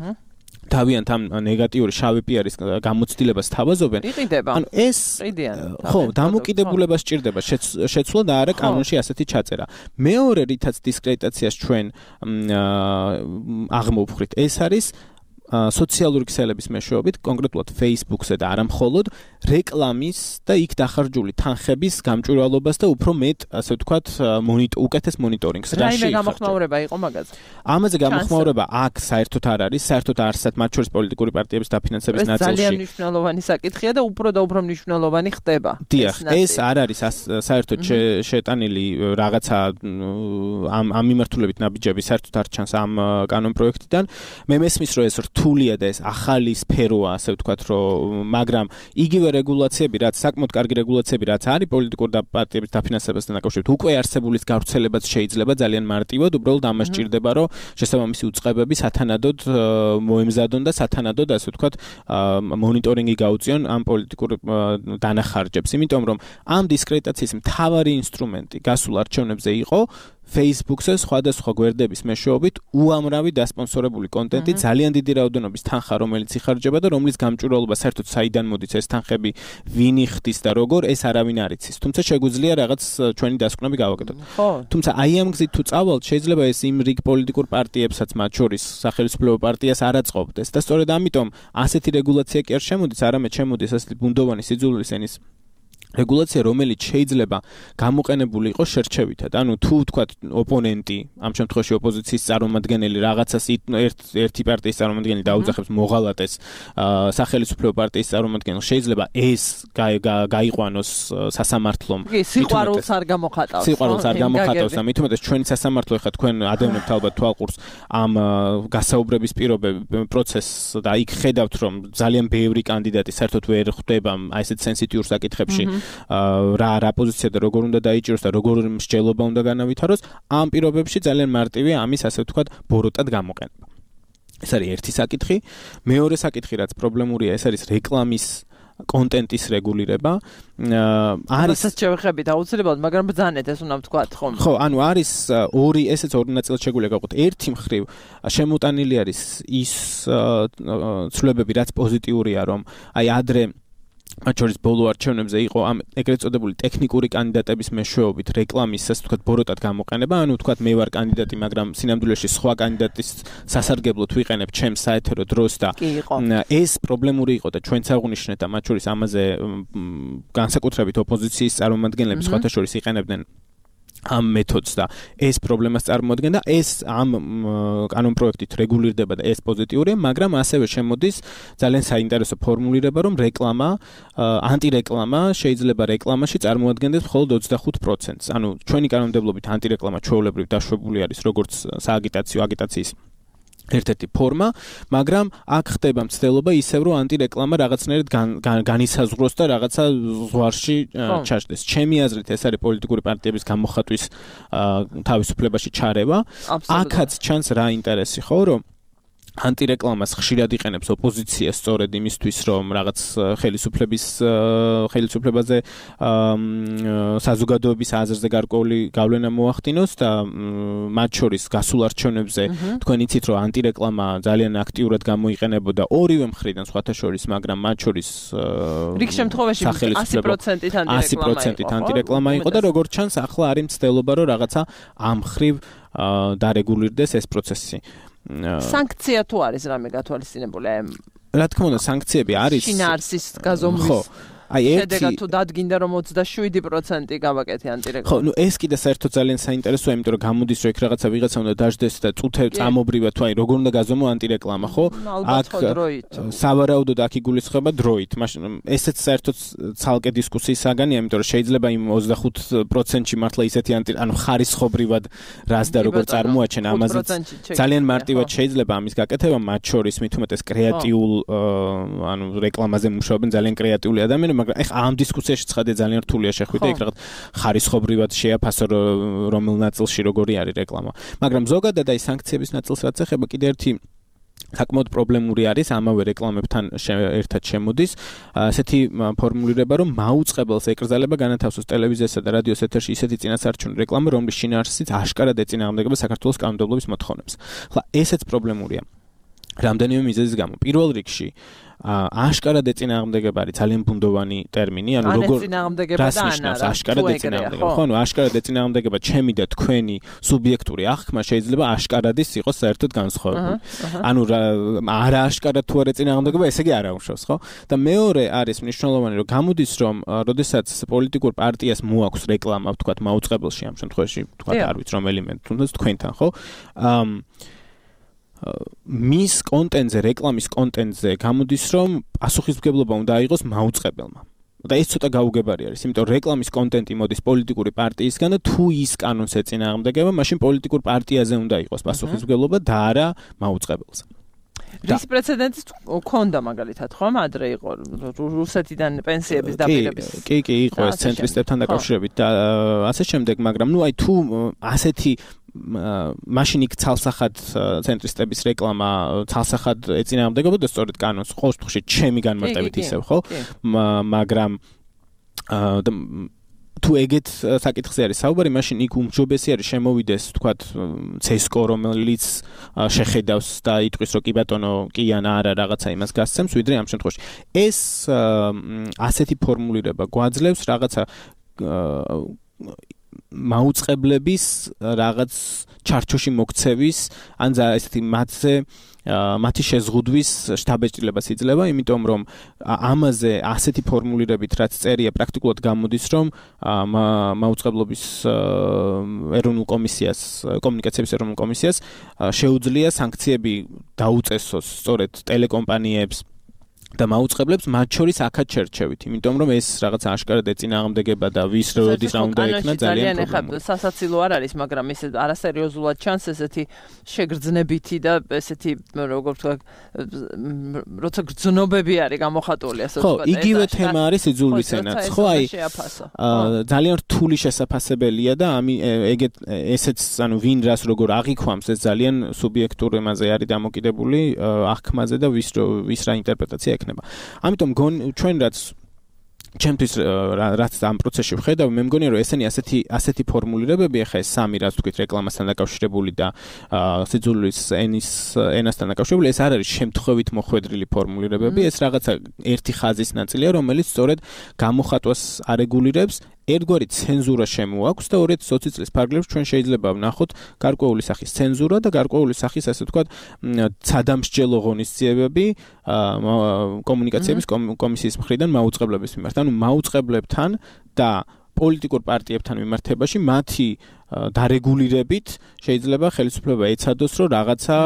თავიანთ ამ ნეგატიური შავი პიარის გამოცდილებას თავაზობენ. ანუ ეს ხო, დამოკიდებულება სჭირდება შეცვლა და არა კანონში ასეთი ჩაწერა. მეორე რითაც დისკრედიტაციას ჩვენ აღმოვხვრით, ეს არის სოციალური ქსელების მეშვეობით, კონკრეტულად Facebook-ზე და არა მხოლოდ რეკლამის და იქ დახარჯული თანხების გამჭვირვალობას და უფრო მეტ, ასე ვთქვათ, უკეთეს მონიტორინგს. რაიმე გამოხმაურება იყო მაგაზე? ამაზე გამოხმაურება აქ საერთოდ არ არის, საერთოდ არსად მათ შორის პოლიტიკური პარტიების დაფინანსების ნაწილში. ეს ძალიან მნიშვნელოვანი საკითხია და უფრო და უფრო მნიშვნელოვანი ხდება. დიახ, ეს არ არის საერთოდ შეტანილი რაღაცა ამ ამ მიმართულებით ნაბიჯები საერთოდ არ ჩანს ამ კანონ პროექტიდან. მე მესმის, რომ ეს რთულია და ეს ახალი სფეროა, ასე ვთქვათ, რომ მაგრამ იგივე რეგულაციები, რაც საკმაოდ კარგი რეგულაციები, რაც არის პოლიტიკურ პარტიების დაფინანსებასთან დაკავშირებით, უკვე არსებულის გავრცელებაც შეიძლება ძალიან მარტივად, უბრალოდ ამას სჭირდება, რომ შესაბამისი უწყებები სათანადოდ მოემზადონ და სათანადოდ, ასე ვთქვათ, მონიტორინგი გაუწიონ ამ პოლიტიკურ დანახარჯებს, იმიტომ რომ ამ დისკრედიტაციის მთავარი ინსტრუმენტი გასულ არჩევნებზე იყო Facebook-ზე სხვადასხვა გვერდების მეშვეობით უამრავი დასპონსორებული კონტენტი, ძალიან დიდი რაოდენობის თანხა, რომელიც იხარჯება და რომლის გამჭვირვალობა საერთოდ საიდან მოდის ეს თანხები, ვინ იხდის და როგორ, ეს არავინ არ იცის. თუმცა შეგვიძლია რაღაც ჩვენი დასკვნები გავაკეთოთ. თუმცა აი ამ გზით თუ წავალთ, შეიძლება ეს იმ რიგ პოლიტიკურ პარტიებსაც, მათ შორის სახელმწიფო პარტიას არ აწყობდეს და სწორედ ამიტომ ასეთი რეგულაცია კი არ შემოდის, არამედ შემოდის ასეთი ბუნდოვანი სიძულვის ენის რეგულაცია, რომელიც შეიძლება გამოყენებული იყოს შერჩევითად. ანუ თუ ვთქვათ ოპონენტი, ამ შემთხვევაში ოპოზიციის წარმომადგენელი რაღაცას ერთი პარტიის წარმომადგენელი დაუძახებს მოღალატეს სახელმწიფო პარტიის წარმომადგენელს, შეიძლება ეს გაიყვანოს სასამართლომ. სიყვარულს არ გამოხატავს. სიყვარულს არ გამოხატავს და მით უმეტეს ჩვენი სასამართლო ეხლა თქვენ ადევნებთ ალბათ თვალყურს ამ გასაუბრების პირობები პროცესს და იქ ხედავთ, რომ ძალიან ბევრი კანდიდატი საერთოდ ვერ ხვდება აი ესეთ სენსიტიურ საკითხებში. რა რა პოზიცია და როგორ უნდა დაიჭიროს და როგორ მსჯელობა უნდა განავითაროს, ამ პირობებში ძალიან მარტივია ამის ასე ვთქვათ ბოროტად გამოყენება. ეს არის ერთი საკითხი. მეორე საკითხი, რაც პრობლემურია, ეს არის რეკლამის კონტენტის რეგულირება. არის ასაც შევეხებით აუცილებლად, მაგრამ ბრძანეთ ეს უნდა ვთქვათ, ხომ? ხო, ანუ არის ორი, ესეც ორი ნაწილად შეგვიძლია გავყოთ. ერთი მხრივ შემოტანილი არის ის ცვლილებები, რაც პოზიტიურია, რომ აი ადრე მათ შორის ბოლო არჩევნებზე იყო ამ ეგრეთ წოდებული ტექნიკური კანდიდატების მეშვეობით რეკლამის, ასე ვთქვათ, ბოროტად გამოყენება, ანუ ვთქვათ, მე ვარ კანდიდატი, მაგრამ სინამდვილეში სხვა კანდიდატის სასარგებლოდ ვიყენებ ჩემს საეთერო დროს და ეს პრობლემური იყო და ჩვენც აღვნიშნეთ და მათ შორის ამაზე განსაკუთრებით ოპოზიციის წარმომადგენლები სხვათა შორის იყენებდნენ ამ მეთოდს და ეს პრობლემას წარმოადგენდა. ეს ამ კანონ პროექტით რეგულირდება და ეს პოზიტიურია, მაგრამ ასევე შემოდის ძალიან საინტერესო ფორმულირება, რომ რეკლამა, ანტირეკლამა შეიძლება რეკლამაში წარმოადგენდეს მხოლოდ ოცდახუთ პროცენტს. ანუ ჩვენი კანონმდებლობით ანტირეკლამა ჩვეულებრივ დაშვებული არის როგორც სააგიტაციო აგიტაციის ერთ-ერთი ფორმა, მაგრამ აქ ხდება მცდელობა ისევ, რომ ანტირეკლამა რაღაცნაირად განისაზღვროს და რაღაცა ზღვარში ჩაჯდეს. ჩემი აზრით ეს არის პოლიტიკური პარტიების გამოხატვის თავისუფლებაში ჩარევა. აქაც ჩანს რა ინტერესი, ხო, რომ ანტირეკლამას ხშირად იყენებს ოპოზიცია სწორედ იმისთვის, რომ რაღაც ხელისუფლების ხელისუფლებაზე საზოგადოების აზრზე გარკვეული გავლენა მოახდინოს და მათ შორის გასულ არჩევნებზე თქვენ იცით, რომ ანტირეკლამა ძალიან აქტიურად გამოიყენებოდა ორივე მხრიდან სხვათა შორის, მაგრამ მათ შორის რიგ შემთხვევაში ასი პროცენტით ანტირეკლამა იყო. ასი პროცენტით ანტირეკლამა იყო და როგორც ჩანს, ახლა არის მცდელობა, რომ რაღაცა ამ ხრივ დარეგულირდეს ეს პროცესი. სანქცია თუ არის რამე გათვალისწინებული? რა თქმა უნდა, სანქციები არის. შინაარსის გაზომვის. ხო. აი ერთი შედეგად თუ დადგინდა რომ ოცდაშვიდი პროცენტი გავაკეთე ანტირეკლამა. ხო, ნუ ეს კიდე საერთოდ ძალიან საინტერესოა, იმიტომ რომ გამოდის რომ იქ რაღაცა ვიღაცა უნდა დაждდეს და წუთე წამობრივად თუ აი როგორ უნდა გაზომო ანტირეკლამა, ხო? აქ სავარაუდოდ აქ იგულისხმება დროით. მაშინ ესეც საერთოდ ცალკე დისკუსიის საგანია, იმიტომ რომ შეიძლება იმ ოცდახუთ პროცენტში მართლა ისეთი ანტი ანუ ხარისხობრივად რას და როგორ წარმოაჩენ ამაზე ძალიან მარტივად შეიძლება ამის გაკეთება, მათ შორის მით უმეტეს კრეატიულ ანუ რეკლამაზე მუშაობენ ძალიან კრეატიული ადამიანები, მაგრამ ეხა ამ დისკუსიაში ცხადე ძალიან რთულია შეხვიდე იქ რაღაც ხარისხობრივად შეაფასო რომელ ნაწილში როგორი არის რეკლამა. მაგრამ ზოგადად აი სანქციების ნაწილს რაც ეხება კიდე ერთი საკმაოდ პრობლემური არის ამავე რეკლამებთან ერთად შემოდის ასეთი ფორმულირება, რომ მაუწყებელს ეკრძალება განათავსოს ტელევიზიასა და რადიოს ეთერში ისეთი წინასაარჩევნო რეკლამა, რომლის შინაარსიც აშკარად ეწინააღმდეგება საქართველოს კანონმდებლობის მოთხოვნებს. ახლა ესეც პრობლემურია რამდენიმე მიზეზის გამო. პირველ რიგში აშკარად ეწინააღმდეგება არის ძალიან ბუნდოვანი ტერმინი, ანუ როგორ რას ნიშნავს აშკარად ეწინააღმდეგება? ხო, ანუ აშკარად ეწინააღმდეგება ჩემი და თქვენი სუბიექტური აღქმა შეიძლება აშკარადის იყოს საერთოდ განსხვავებული. ანუ არა აშკარად თუ არ ეწინააღმდეგება, ესე იგი არ აუშავს, ხო? და მეორე არის მნიშვნელოვანი, რომ გამოდის, რომ როდესაც პოლიტიკურ პარტიას მოაქვს რეკლამა, ვთქვათ, მაუწყებელში ამ შემთხვევაში, ვთქვათ, არ ვიცი რომელიმე, თუნდაც თქვენთან, ხო? მის კონტენტზე, რეკლამის კონტენტზე გამოდის, რომ პასუხისმგებლობა უნდა აიღოს მაუწყებელმა. და ეს ცოტა გაუგებარი არის, იმიტომ რომ რეკლამის კონტენტი მოდის პოლიტიკური პარტიისგან და თუ ის კანონს ეწინააღმდეგება, მაშინ პოლიტიკურ პარტიაზე უნდა იყოს პასუხისმგებლობა და არა მაუწყებელზე. რის პრეცედენტი ქონდა მაგალითად, ხო? ადრე იყო რუსეთიდან პენსიების დაპირების. კი, კი, იყო ეს ცენტრისტებთან დაკავშირებით და ასე შემდეგ, მაგრამ ნუ აი თუ ასეთი მაშინ იქ ცალსახად ცენტრისტების რეკლამა ცალსახად ეწინააღმდეგებოდა სწორედ კანონს, ყოველ შემთხვევაში ჩემი განმარტებით ისევ, ხო? მაგრამ თუ ეგეთ საკითხზე არის საუბარი, მაშინ იქ უმჯობესი არის შემოვიდეს, ვთქვათ, ცესკო, რომელიც შეხედავს და იტყვის, რომ კი ბატონო, კი ან არა რაღაცა იმას გასცემს, ვიდრე ამ შემთხვევაში. ეს ასეთი ფორმულირება გვაძლევს რაღაცა მაუწყებლების რაღაც ჩარჩოში მოქცევის, ან ესეთი მათზე მათი შეზღუდვის შთაბეჭდილებას იძლევა, იმიტომ რომ ამაზე ასეთი ფორმულირებით რაც წერია პრაქტიკულად გამოდის, რომ მაუწყებლობის ეროვნულ კომისიას, კომუნიკაციების ეროვნულ კომისიას შეუძლია სანქციები დაუწესოს სწორედ ტელეკომპანიებს და მაუწყებლებს მათ შორის აქაც შერჩევით, იმიტომ რომ ეს რაღაც აშკარად ეწინააღმდეგება და ვის როდის რა უნდა ექნა ძალიან პრობლემაა. სასაცილო არ არის, მაგრამ ეს არასერიოზულად ჩანს ესეთი შეგრძნებითი და ესეთი როგორ ვთქვა, როცა გრძნობები არის გამოხატული, ასე ვთქვა. ხო, იგივე თემა არის იძულვის ენაც, ხო, აი ძალიან რთული შესაძლებელია და ამი ეგეთ ესეც ანუ ვინ რას როგორ აღიქვამს, ეს ძალიან სუბიექტურ ემაზე არის დამოკიდებული აღქმაზე და ვის ვის რა ინტერპრეტაცია ექნება. ამიტომ ჩვენ რაც ჩემთვის რაც ამ პროცესში ვხედავ, მე მგონია რომ ესენი ასეთი ასეთი ფორმულირებები, ახლა ეს სამი რაც თქვით რეკლამასთან დაკავშირებული და სიძულვის ენის ენასთან დაკავშირებული, ეს არ არის შემთხვევით მოხვედრილი ფორმულირებები, ეს რაღაცა ერთი ხაზის ნაწილია, რომელიც სწორედ გამოხატვას არეგულირებს. ერთგვარი ცენზურა შემოაქვს და ორი ათი ოცი წლის ფარგლებში ჩვენ შეიძლება ვნახოთ გარკვეული სახის ცენზურა და გარკვეული სახის ასე ვთქვათ ცადამსჯელო ღონისძიებები კომუნიკაციების კომისიის მხრიდან მაუწყებლების მიმართ. ანუ მაუწყებლებთან და პოლიტიკურ პარტიებთან მიმართებაში მათი დარეგულირებით შეიძლება ხელისუფლება ეცადოს, რომ რაღაცა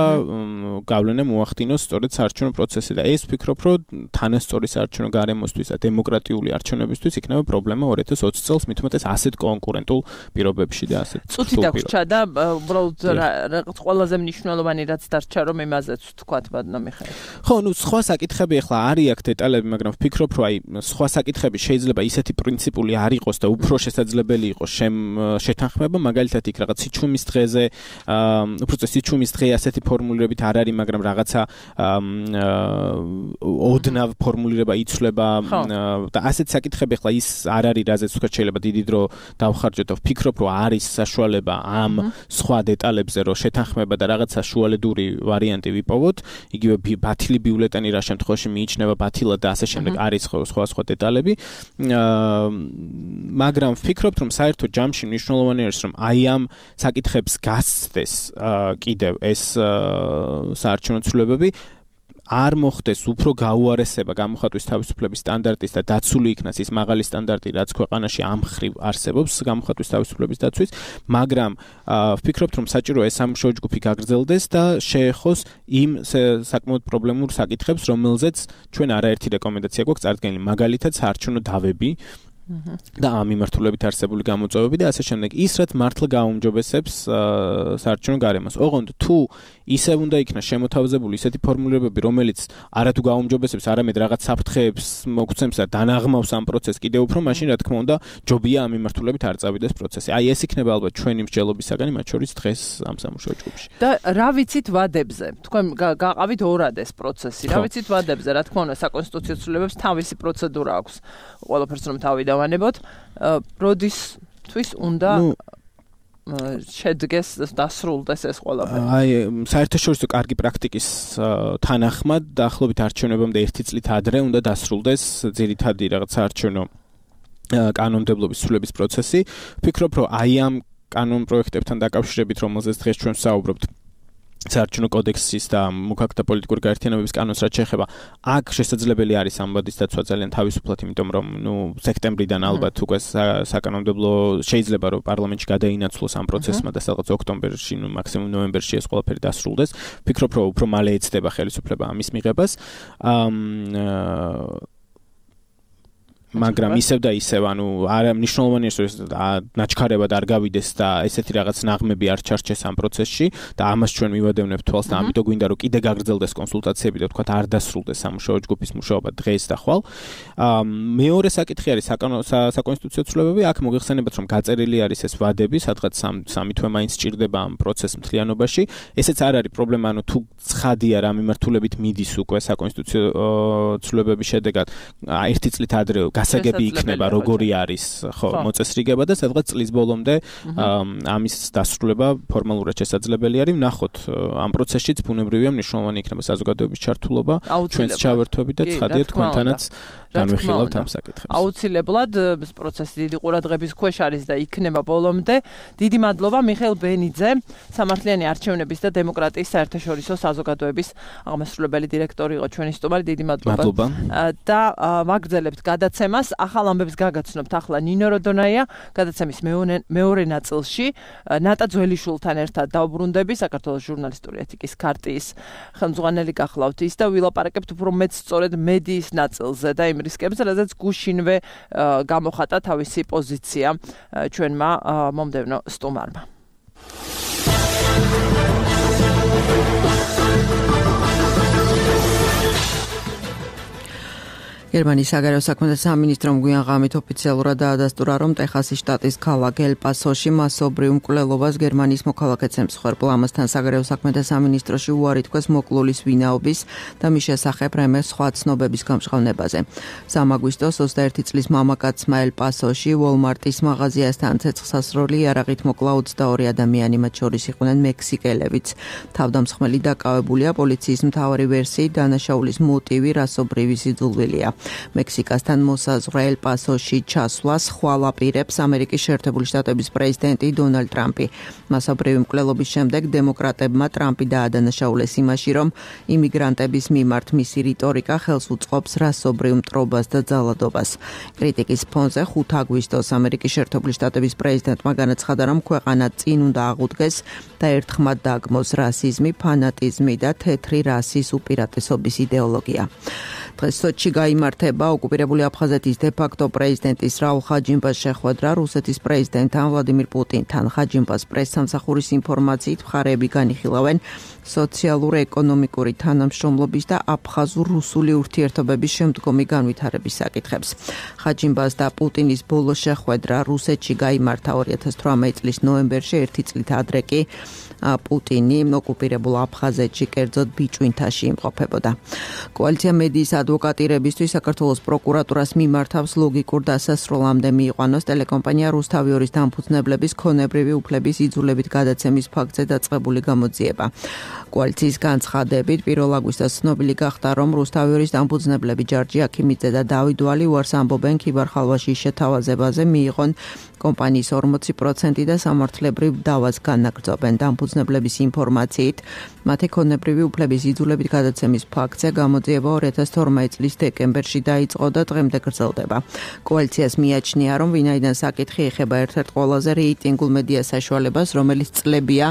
გავლენა მოახდინოს სწორედ საარჩევნო პროცესზე და ეს ვფიქრობ, რომ თანასწორი საარჩევნო გარემოსთვის და დემოკრატიული არჩევნებისთვის იქნება პრობლემა ორი ათი ოცი წელს, მით უმეტეს ასეთ კონკურენტულ პირობებში და ასეთ. წუთი დაგვრჩა და უბრალოდ რაღაც ყველაზე მნიშვნელოვანი რაც დარჩა, რომ იმაზეც ვთქვათ, ბატონო მიხეილ. ხო, ნუ სხვა საკითხები ახლა არის აქ დეტალები, მაგრამ ვფიქრობ, რომ აი სხვა საკითხები შეიძლება ისეთი პრინციპული არ იყოს და უფრო შესაძლებელი იყოს შეთანხმება, მაგალითად იქ რაღაც სიჩუმის დღეზე, უბრალოდ სიჩუმის დღე ასეთი ფორმულირებით არ არის, მაგრამ რაღაცა ოდნავ ფორმულირება იცვლება და ასეთ საკითხები ხლა ის არ არის, რაზეც თქვა შეიძლება დიდი დრო დავხარჯოთ და ვფიქრობ, რომ არის საშუალება ამ სხვა დეტალებზე რომ შეთანხმება და რაღაცა შუალედური ვარიანტი ვიპოვოთ, იგივე ბათილი ბიულეტენი რა შემთხვევაში მიიჩნევა ბათილად და ასე შემდეგ არის სხვა სხვა დეტალები. მაგრამ ვფიქრობ, რომ საერთო ჯამში მნიშვნელოვანი არის, რომ აი ამ საკითხებს გასცდეს კიდევ ეს საარჩევნო ცვლილებები, არ მოხდეს უფრო გაუარესება გამოხატვის თავისუფლების სტანდარტის და დაცული იქნას ის მაღალი სტანდარტი, რაც ქვეყანაში ამ ხრივ არსებობს გამოხატვის თავისუფლების დაცვის, მაგრამ ვფიქრობთ, რომ საჭიროა ეს სამუშაო ჯგუფი გაგრძელდეს და შეეხოს იმ საკმაოდ პრობლემურ საკითხებს, რომელზეც ჩვენ არაერთი რეკომენდაცია გვაქვს წარდგენილი, მაგალითად საარჩევნო დავები და ამ მიმართულებით არსებული გამოწვევები და ასე შემდეგ. ის რაც მართლა გააუმჯობესებს საარჩევნო გარემოს. ოღონდ თუ ისევ უნდა იქნას შემოთავაზებული ისეთი ფორმულირებები, რომელიც არათუ გააუმჯობესებს, არამედ რაღაც საფრთხეებს მოგცემს და დანაღმავს ამ პროცესს კიდევ უფრო, მაშინ რა თქმა უნდა ჯობია ამ მიმართულებით არ წავიდეს პროცესი. აი ეს იქნება ალბათ ჩვენი მსჯელობისაგანი, მათ შორის დღეს ამ სამუშაო ჯგუფში. და რა ვიცით ვადებზე? თქვენ გაყავით ორად ეს პროცესი. რა ვიცით ვადებზე? რა თქმა უნდა საკონსტიტუციო ცვლილებებს თავისი პროცედურა აქვს. ყველაფერს რომ თავი დავანებოთ, როდისთვის უნდა შედგეს დასრულდეს ეს ყველაფერი. აი, საერთაშორისო კარგი პრაქტიკის თანახმად დაახლოებით არჩევნებამდე ერთი წლით ადრე უნდა დასრულდეს ძირითადი რაღაც საარჩევნო კანონმდებლობის ცვლილების პროცესი. ვფიქრობ, რომ აი ამ კანონ პროექტებთან დაკავშირებით, რომელზეც დღეს ჩვენ ვსაუბრობთ, საარჩევნო კოდექსის და მოქალაქეთა პოლიტიკური გაერთიანებების კანონს რაც შეეხება, აქ შესაძლებელი არის ამბადის დაცვა ძალიან თავისუფლად, იმიტომ რომ ნუ სექტემბრიდან ალბათ უკვე საკანონმდებლო შეიძლება რომ პარლამენტში გადაინაცვლოს ამ პროცესმა და სადღაც ოქტომბერში, ნუ მაქსიმუმ ნოემბერში ეს ყველაფერი დასრულდეს. ვფიქრობ, რომ უფრო მალე ეცდება ხელისუფლება ამის მიღებას. მაგრამ ისევ და ისევ, ანუ არ მნიშვნელოვანია რომ ნაჩქარებად არ გავიდეს და ესეთი რაღაც ნაღმები არ ჩარჩეს ამ პროცესში და ამას ჩვენ მივადევნებთ თვალს და ამიტომ გვინდა რომ კიდე გაგრძელდეს კონსულტაციები და თქვათ არ დასრულდეს სამუშაო ჯგუფის მუშაობა დღეს და ხვალ. მეორე საკითხი არის საკონსტიტუციო ცვლილებები, აქ მოგეხსენებათ რომ გაწერილი არის ეს ვადები, სადღაც სამი თვე მაინც სჭირდება ამ პროცესს მთლიანობაში. ესეც არ არის პრობლემა, ანუ თუ ცხადია რა მიმართულებით მიდის უკვე საკონსტიტუციო ცვლილებების შედეგად ერთი წლით ადრე გასაგები იქნება როგორი არის ხო მოწესრიგება და სადღაც წლის ბოლომდე ამის დასრულება ფორმალურად შესაძლებელი არის. ვნახოთ ამ პროცესშიც ბუნებრივია მნიშვნელოვანი იქნება საზოგადოების ჩართულობა, ჩვენს ჩავერთვები და ცხადია თქვენთანაც განვიხილავთ ამ საკითხებს. აუცილებლად ეს პროცესი დიდი ყურადღების ქვეშ არის და იქნება ბოლომდე. დიდი მადლობა მიხეილ ბენიძე, სამართლიანი არჩევნების და დემოკრატიის საერთაშორისო საზოგადოების აღმასრულებელი დირექტორი იყო ჩვენი სტუმარი. დიდი მადლობა. და ვაგრძელებთ გადაცემას. ახალ ამბებს გაგაცნობთ ახლა ნინო როდონაია გადაცემის მეორე ნაწილში. ნატა ძველიშვილთან ერთად დავბრუნდები, საქართველოს ჟურნალისტური ეთიკის ქარტიის ხელმძღვანელი გახლავთ ის და ვილაპარაკებთ უფრო მეც სწორედ მედიის ნაწილზე და იმ რისკებზე, რადგან გუშინვე გამოხატა თავისი პოზიცია ჩვენმა მომდევნო სტუმარმა. გერმანიის საგარეო საქმეთა სამინისტრომ გვიან ღამით ოფიციალურად დაადასტურა, რომ ტეხასის შტატის ქალაქ ელ-პასოში მასობრივ მკვლელობას გერმანიის მოქალაქეც ემსხვერპლა. ამასთან საგარეო საქმეთა სამინისტროში უარი თქვეს მოკლულის ვინაობის და მის შესახებ რამე სხვა ცნობების გამჟღავნებაზე. სამი აგვისტოს ოცდაერთი წლის მამაკაცმა ელ-პასოში Walmart-ის მაღაზიასთან ცეცხლსასროლი იარაღით მოკლა ოცდაორი ადამიანი, მათ შორის იყვნენ მექსიკელებიც. თავდამსხმელი დაკავებულია. პოლიციის მთავარი ვერსიით დანაშაულის მოტივი რასობრივი სიძულვილია. მექსიკასთან მოსაზღვრე ელ-პასოში ჩასვლას ხვალ აპირებს ამერიკის შეერთებული შტატების პრეზიდენტი დონალდ ტრამპი. მასობრივი მკვლელობის შემდეგ დემოკრატებმა ტრამპი დაადანაშაულეს იმაში, რომ იმიგრანტების მიმართ მისი რიტორიკა ხელს უწყობს რასობრივ მტრობას და ძალადობას. კრიტიკის ფონზე ხუთი აგვისტოს ამერიკის შეერთებული შტატების პრეზიდენტმა განაცხადა, რომ ქვეყანა წინ უნდა აღუდგეს და ერთხმად დაგმოს რასიზმი, ფანატიზმი და თეთრი რასის უპირატესობის იდეოლოგია. დღეს სოჩში გაიმართა იმართება ოკუპირებული აფხაზეთის დე-ფაქტო პრეზიდენტის რაულ ხაჯიმბას შეხვედრა რუსეთის პრეზიდენტთან ვლადიმირ პუტინთან. ხაჯიმბას პრესსამსახურის ინფორმაციით მხარეები განიხილავენ სოციალურ-ეკონომიკური თანამშრომლობის და აფხაზურ-რუსული ურთიერთობების შემდგომი განვითარების საკითხებს. ხაჯიმბას და პუტინის ბოლო შეხვედრა რუსეთში გაიმართა ორი ათას თვრამეტი წლის ნოემბერში, ერთი წლით ადრე კი პუტინი ოკუპირებულ აფხაზეთში, კერძოდ ბიჭვინთაში იმყოფებოდა. კოალიცია მედიის ადვოკატირებისთვის საქართველოს პროკურატურას მიმართავს ლოგიკურ დასასრულამდე მიიყვანოს ტელეკომპანია რუსთავიორის დამფუძნებლების ქონებრივი უფლების იძულებით გადაცემის ფაქტზე დაწყებული გამოძიება. კოალიციის განცხადებით პირველ აგვისტოს ცნობილი გახდა, რომ რუსთავიორის დამფუძნებლები ჯარჯი აქიმიძე და დავით ვალი უარს ამბობენ ქიბარ-ხალვაშის შეთავაზებაზე მიიღონ კომპანიის ორმოცი პროცენტი და სამართლებრივ დავას განაგრძობენ. დამფუძნებლების ინფორმაციით, მათი ქონებრივი უფლების იძულებით გადაცემის ფაქტზე გამოძიება ორი ათას თორმეტი წლის დეკემბერში დაიწყო და დღემდე გრძელდება. კოალიციას მიაჩნია, რომ ვინაიდან საკითხი ეხება ერთ-ერთ ყველაზე რეიტინგულ მედია საშუალებას, რომელიც წლებია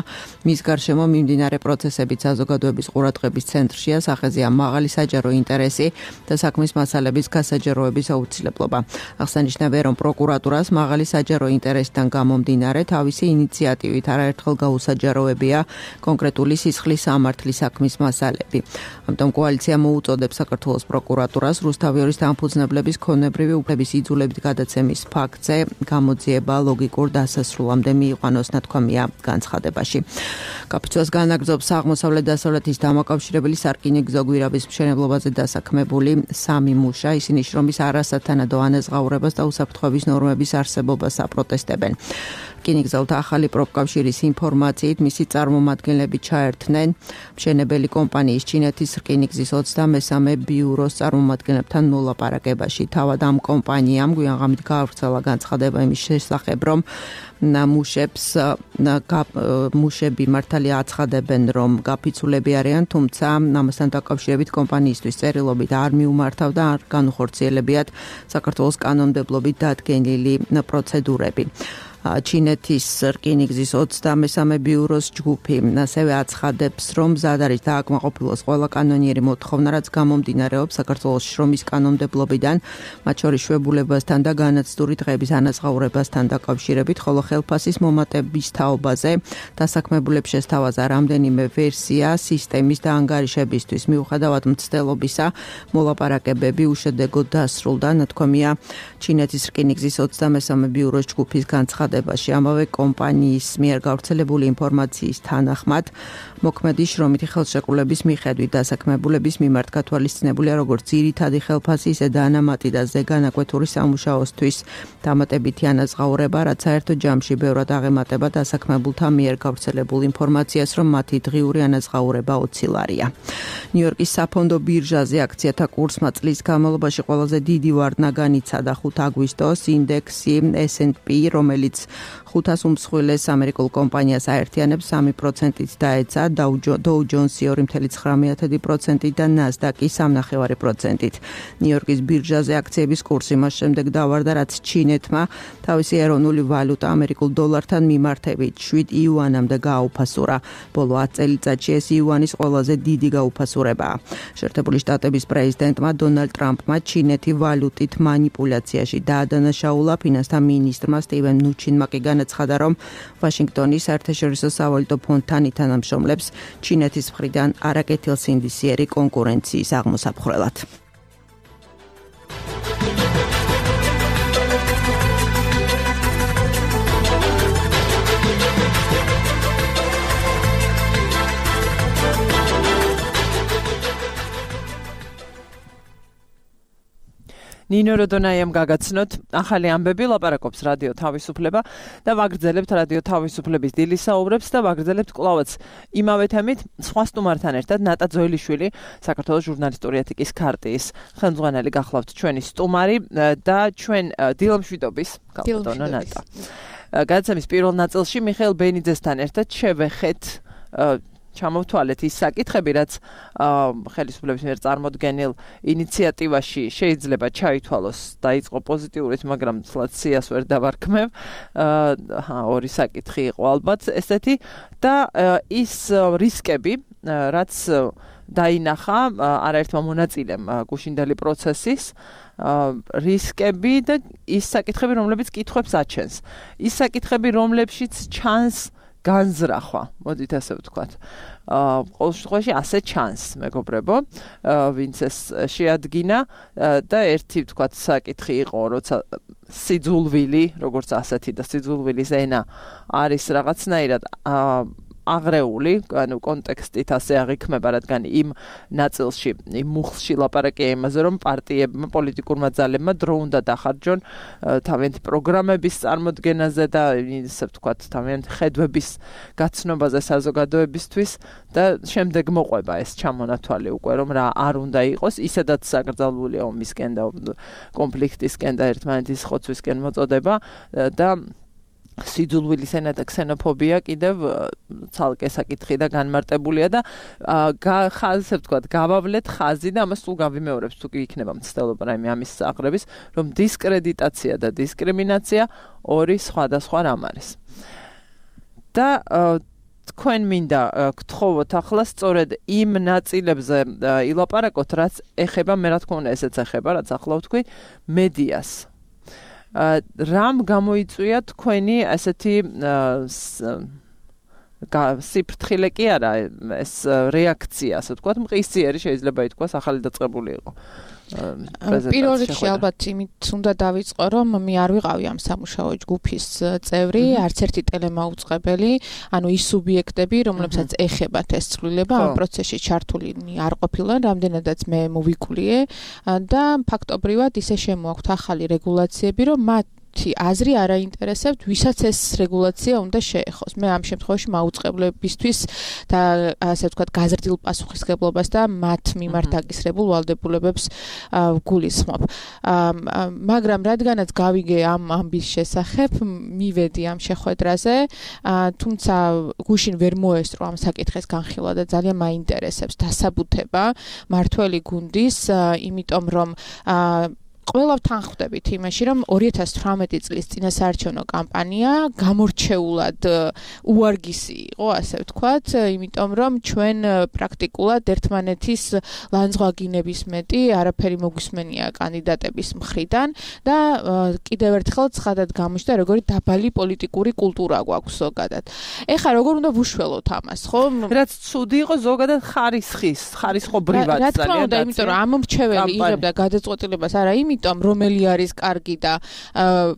მის გარშემო მიმდინარე პროცესებით საზოგადოების ყურადღების ცენტრშია, სახეზეა მაღალი საჯარო ინტერესი და საქმის მასალების გასაჯაროების აუცილებლობა. აღსანიშნავია, რომ პროკურატურას მაღალი საჯარო ინტერესთან გამომდინარე თავისი ინიციატივით არაერთხელ გაუსაჯაროებია კონკრეტული სისხლის სამართლის საქმის მასალები. ამიტომ კოალიცია მოუწოდებს საქართველოს პროკურატურას რუსთავიორის დამფუძნებლების ქონებრივი უფლების იძულებით გადაცემის ფაქტზე გამოძიება ლოგიკურ დასასრულამდე მიიყვანოს, ნათქვამია განცხადებაში. კაპიცუას განაგრძობს აღმოსავლეთ დასავლეთის დამაკავშირებელი სარკინიგზო გვირაბის მშენებლობაზე დასაქმებული სამი მუშა. ისინი შრომის არასათანადო ანაზღაურებას და უსაფრთხოების ნორმების არსებობას აპროტესტებენ. რკინიგზელთა ახალი პროფკავშირის ინფორმაციით მისი წარმომადგენლები ჩაერთნენ მშენებელი კომპანიის ჩინეთის რკინიგზის ოცდამესამე ბიუროს წარმომადგენლებთან მოლაპარაკებაში. თავად ამ კომპანიამ გვიანღამით გაავრცელა განცხადება იმის შესახებ, რომ მუშებს მუშები მართალია აცხადებენ, რომ გაფიცულები არიან, თუმცა ამასთან დაკავშირებით კომპანიისთვის წერილობით არ მიუმართავ და არ განუხორციელებიათ საქართველოს კანონმდებლობით დადგენილი პროცედურები. ჩინეთის რკინიგზის ოცდამესამე ბიუროს ჯგუფი ასევე აცხადებს, რომ მზად არის დააკმაყოფილოს ყველა კანონიერი მოთხოვნა, რაც გამომდინარეობს საქართველოს შრომის კანონმდებლობიდან, მათ შორის შვებულებასთან და განაცდური დღეების ანაზღაურებასთან დაკავშირებით, ხოლო ხელფასის მომატების თაობაზე დასაქმებულებს შესთავაზა რამდენიმე ვერსია სისტემის დაანგარიშებისთვის. მიუხედავად მცდელობისა, მოლაპარაკებები უშედეგოდ დასრულდა, ნათქვამია ჩინეთის რკინიგზის ოცდამესამე ბიუროს ჯგუფის განცხადებაში. ამავე კომპანიის მიერ გავრცელებული ინფორმაციის თანახმად, მოქმედი შრომითი ხელშეკრულების მიხედვით დასაქმებულების მიმართ გათვალისწინებულია როგორც ძირითადი ხელფასი, ისე დანამატი და ზეგანაკვეთური სამუშაოსთვის დამატებითი ანაზღაურება, რაც საერთო ჯამში ბევრად აღემატება დასაქმებულთა მიერ გავრცელებულ ინფორმაციას, რომ მათი დღიური ანაზღაურება ოცი ლარია. ნიუ-იორკის საფონდო ბირჟაზე აქციათა კურსმა წლის განმავლობაში ყველაზე დიდი ვარდნა განიცადა ხუთ აგვისტოს ინდექსი ეს ენდ პი, რომელიც ხუთას უმსხვილეს ამერიკულ კომპანიას აერთიანებს სამი პროცენტით დაეცა, Dow Jones-ი ორი virgulă ცხრამეტი პროცენტით და Nasdaq-ი სამი virgulă ნახევარი პროცენტით. ნიუ-იორკის ბირჟაზე აქციების კურსი მას შემდეგ დავარდა, რაც ჩინეთმა თავისი ეროვნული ვალუტა ამერიკულ დოლართან მიმართებით შვიდ იუანამდე გააუფასურა. ბოლო ათი წელიწადში ეს იუანის ყველაზე დიდი გაუფასურებაა. შეერთებული შტატების პრეზიდენტმა დონალდ ტრამპმა ჩინეთი ვალუტით მანიპულაციაში დაადანაშაულა. ფინანსთა მინისტრმა სტივენ ნუჩინმა კი განაცხადა, რომ ვაშინგტონის საერთაშორისო სავალუტო ფონდთან ითანამშრომლებს ჩინეთის მხრიდან არაკეთილსინდისიერი კონკურენციის აღმოსაფხრელად. ნინო როდონაიამ გაგაცნოთ ახალი ამბები, ლაპარაკობს რადიო თავისუფლება და ვაგრძელებთ რადიო თავისუფლების დილის საუბრებს და ვაგრძელებთ კვლავაც იმავე თემით სხვა სტუმართან ერთად ნატა ძოელიშვილი, საქართველოს ჟურნალისტური ეთიკის ქარტიის ხელმძღვანელი გახლავთ ჩვენი სტუმარი და ჩვენ დილამშვიდობის გალბატონო ნატა. გადაცემის პირველ ნაწილში მიხეილ ბენიძესთან ერთად შევეხეთ ჩამოვთვალეთ ის საკითხები, რაც ხელისუფლების მიერ წარმოდგენილ ინიციატივაში შეიძლება ჩაითვალოს, დაიწყო პოზიტიურით, მაგრამ ცლად სიას ვერ დავარქმევ. ორი საკითხი იყო ალბათ ესეთი და ის რისკები, რაც დაინახა არაერთმა მონაწილემ გუშინდელი პროცესის რისკები და ის საკითხები, რომლებიც კითხვებს აჩენს. ის საკითხები, რომლებშიც ჩანს განზრახვა, მოდით ასე ვთქვათ. ყოველ შემთხვევაში ასე ჩანს, მეგობრებო, ვინც ეს შეადგინა და ერთი ვთქვათ საკითხი იყო, როცა სიძულვილი, როგორც ასეთი და სიძულვილის ენა არის რაღაცნაირად აღრეული, ანუ კონტექსტით ასე აღიქმება, რადგან იმ ნაწილში, იმ მუხლში ლაპარაკია იმაზე, რომ პარტიებმა, პოლიტიკურმა ძალებმა დრო უნდა დახარჯონ თავიანთი პროგრამების წარმოდგენაზე და ისე ვთქვათ, თავიანთი ხედვების გაცნობაზე საზოგადოებისთვის და შემდეგ მოყვება ეს ჩამონათვალი უკვე, რომ რა არ უნდა იყოს, ისედაც საკრძალულია ომისკენ და კონფლიქტისკენ და ერთმანეთის ხოცვისკენ მოწოდება და სიძულვილის ენა და ქსენოფობია კიდევ ცალკე საკითხი და განმარტებულია და ხაზზე ვთქვათ, გავავლეთ ხაზი და ამას სულ გავიმეორებს, თუ კი იქნება მცდელობა რაიმე ამის აღრების, რომ დისკრედიტაცია და დისკრიმინაცია ორი სხვადასხვა რამ არის. და თქვენ მინდა გთხოვოთ ახლა სწორედ იმ ნაწილებზე ილაპარაკოთ, რაც ეხება, მე რა თქმა უნდა ესეც ეხება, რაც ახლა ვთქვი, მედიას. რამ გამოიწვია თქვენი ასეთი სიფრთხილე კი არა, ეს რეაქცია, ასე ვთქვათ, მყისიერი შეიძლება ითქვას, ახალი დაწყებული იყო. პირველ რიგში ალბათ იმით უნდა დავიწყო, რომ მე არ ვიყავი ამ სამუშაო ჯგუფის წევრი, არც ერთი ტელემაუწყებელი, ანუ ის სუბიექტები, რომლებსაც ეხებათ ეს ცვლილება, ამ პროცესში ჩართული არ ყოფილან, რამდენადაც მე მოვიკულიე და ფაქტობრივად ისე შემოაქვთ ახალი რეგულაციები, რომ მათ აზრი არ აინტერესებთ, ვისაც ეს რეგულაცია უნდა შეეხოს. მე ამ შემთხვევაში მაუწყებლებისთვის და ასე ვთქვათ, გაზრდილ პასუხისგებლობას და მათ მიმართ დაკისრებულ ვალდებულებებს გულისხმობ. მაგრამ რადგანაც გავიგე ამ ამბის შესახებ, მივედი ამ შეხვედრაზე, თუმცა გუშინ ვერ მოესწრო ამ საკითხის განხილვა და ძალიან მაინტერესებს დასაბუთება მართველი გუნდის, იმიტომ რომ ყველა ვთანხმდებით იმაში, რომ ორი ათას თვრამეტი წლის წინასაარჩევნო კამპანია გამორჩეულად უარგისი იყო, ასე ვთქვათ, იმიტომ რომ ჩვენ პრაქტიკულად ერთმანეთის ლანძღვაგინების მეტი არაფერი მოგვისმენია კანდიდატების მხრიდან და კიდევ ერთხელ ცხადად გამოჩნდა, როგორი დაბალი პოლიტიკური კულტურა გვაქვს ზოგადად. ეხლა როგორ უნდა ვუშველოთ ამას, ხო? რაც ცუდი იყო ზოგადად ხარისხის, ხარისხობრივად ძალიან. რა თქმა უნდა, იმიტომ რომ ამ მრჩეველი იღებდა გადაწყვეტილებას არა იმით რომელი არის კარგი და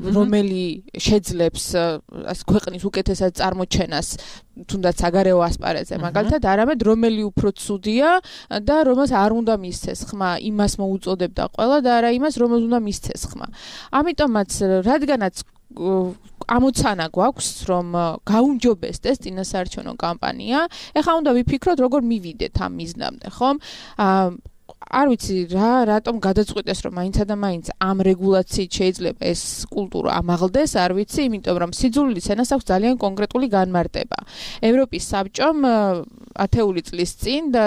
რომელი შეძლებს ქვეყნის უკეთესად წარმოჩენას თუნდაც საგარეო ასპარეზზე მაგალითად არამედ რომელი უფრო ცუდია და რომელს არ უნდა მისცეს ხმა იმას მოუწოდებდა ყველა და არა იმას რომელს უნდა მისცეს ხმა. ამიტომაც რადგანაც ამოცანა გვაქვს რომ გაუმჯობესდეს წინასაარჩევნო კამპანია, ეხლა უნდა ვიფიქროთ როგორ მივიდეთ ამ მიზნამდე, ხომ? არ ვიცი რა, რატომ გადაწყვიტეს რომ მაინცა და მაინც ამ რეგულაციით შეიძლება ეს კულტურა ამაღლდეს, არ ვიცი, იმიტომ რომ სიძულვილის ენას აქვს ძალიან კონკრეტული განმარტება. ევროპის საბჭომ ათეული წლის წინ და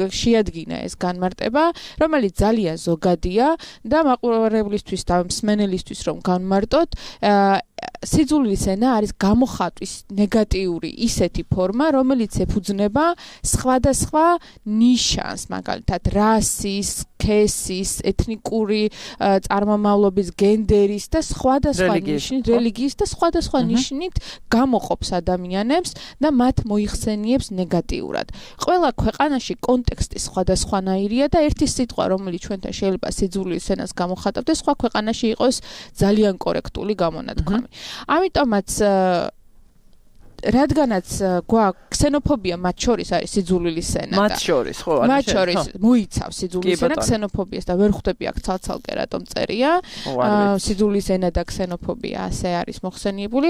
შეადგინა ეს განმარტება, რომელიც ძალიან ზოგადია და მაყურებლისთვის და მსმენელისთვის რომ განმარტოთ, სიძულვილის ენა არის გამოხატვის ნეგატიური ისეთი ფორმა, რომელიც ეფუძნება სხვადასხვა ნიშანს, მაგალითად რასის, სქესის, ეთნიკური წარმომავლობის, გენდერის და სხვადასხვა ნიშნით, რელიგიის და სხვადასხვა ნიშნით გამოყოფს ადამიანებს და მათ მოიხსენიებს ნეგატიურად. ყველა ქვეყანაში კონტექსტი სხვადასხვანაირია და ერთი სიტყვა, რომელიც ჩვენთან შეიძლება სიძულვილის ენას გამოხატავდეს, სხვა ქვეყანაში იყოს ძალიან კორექტული გამონათქვამი. ამიტომაც რადგანაც გვაქვს ქსენოფობია მათ შორის არის სიძულვილის ენა და მათ შორის ხო არის მათ შორის მოიცავს სიძულვილის ენა ქსენოფობიას და ვერ ხვდები აქ ცალ-ცალკე რატომ წერია სიძულვილის ენა და ქსენოფობია ასე არის მოხსენიებული.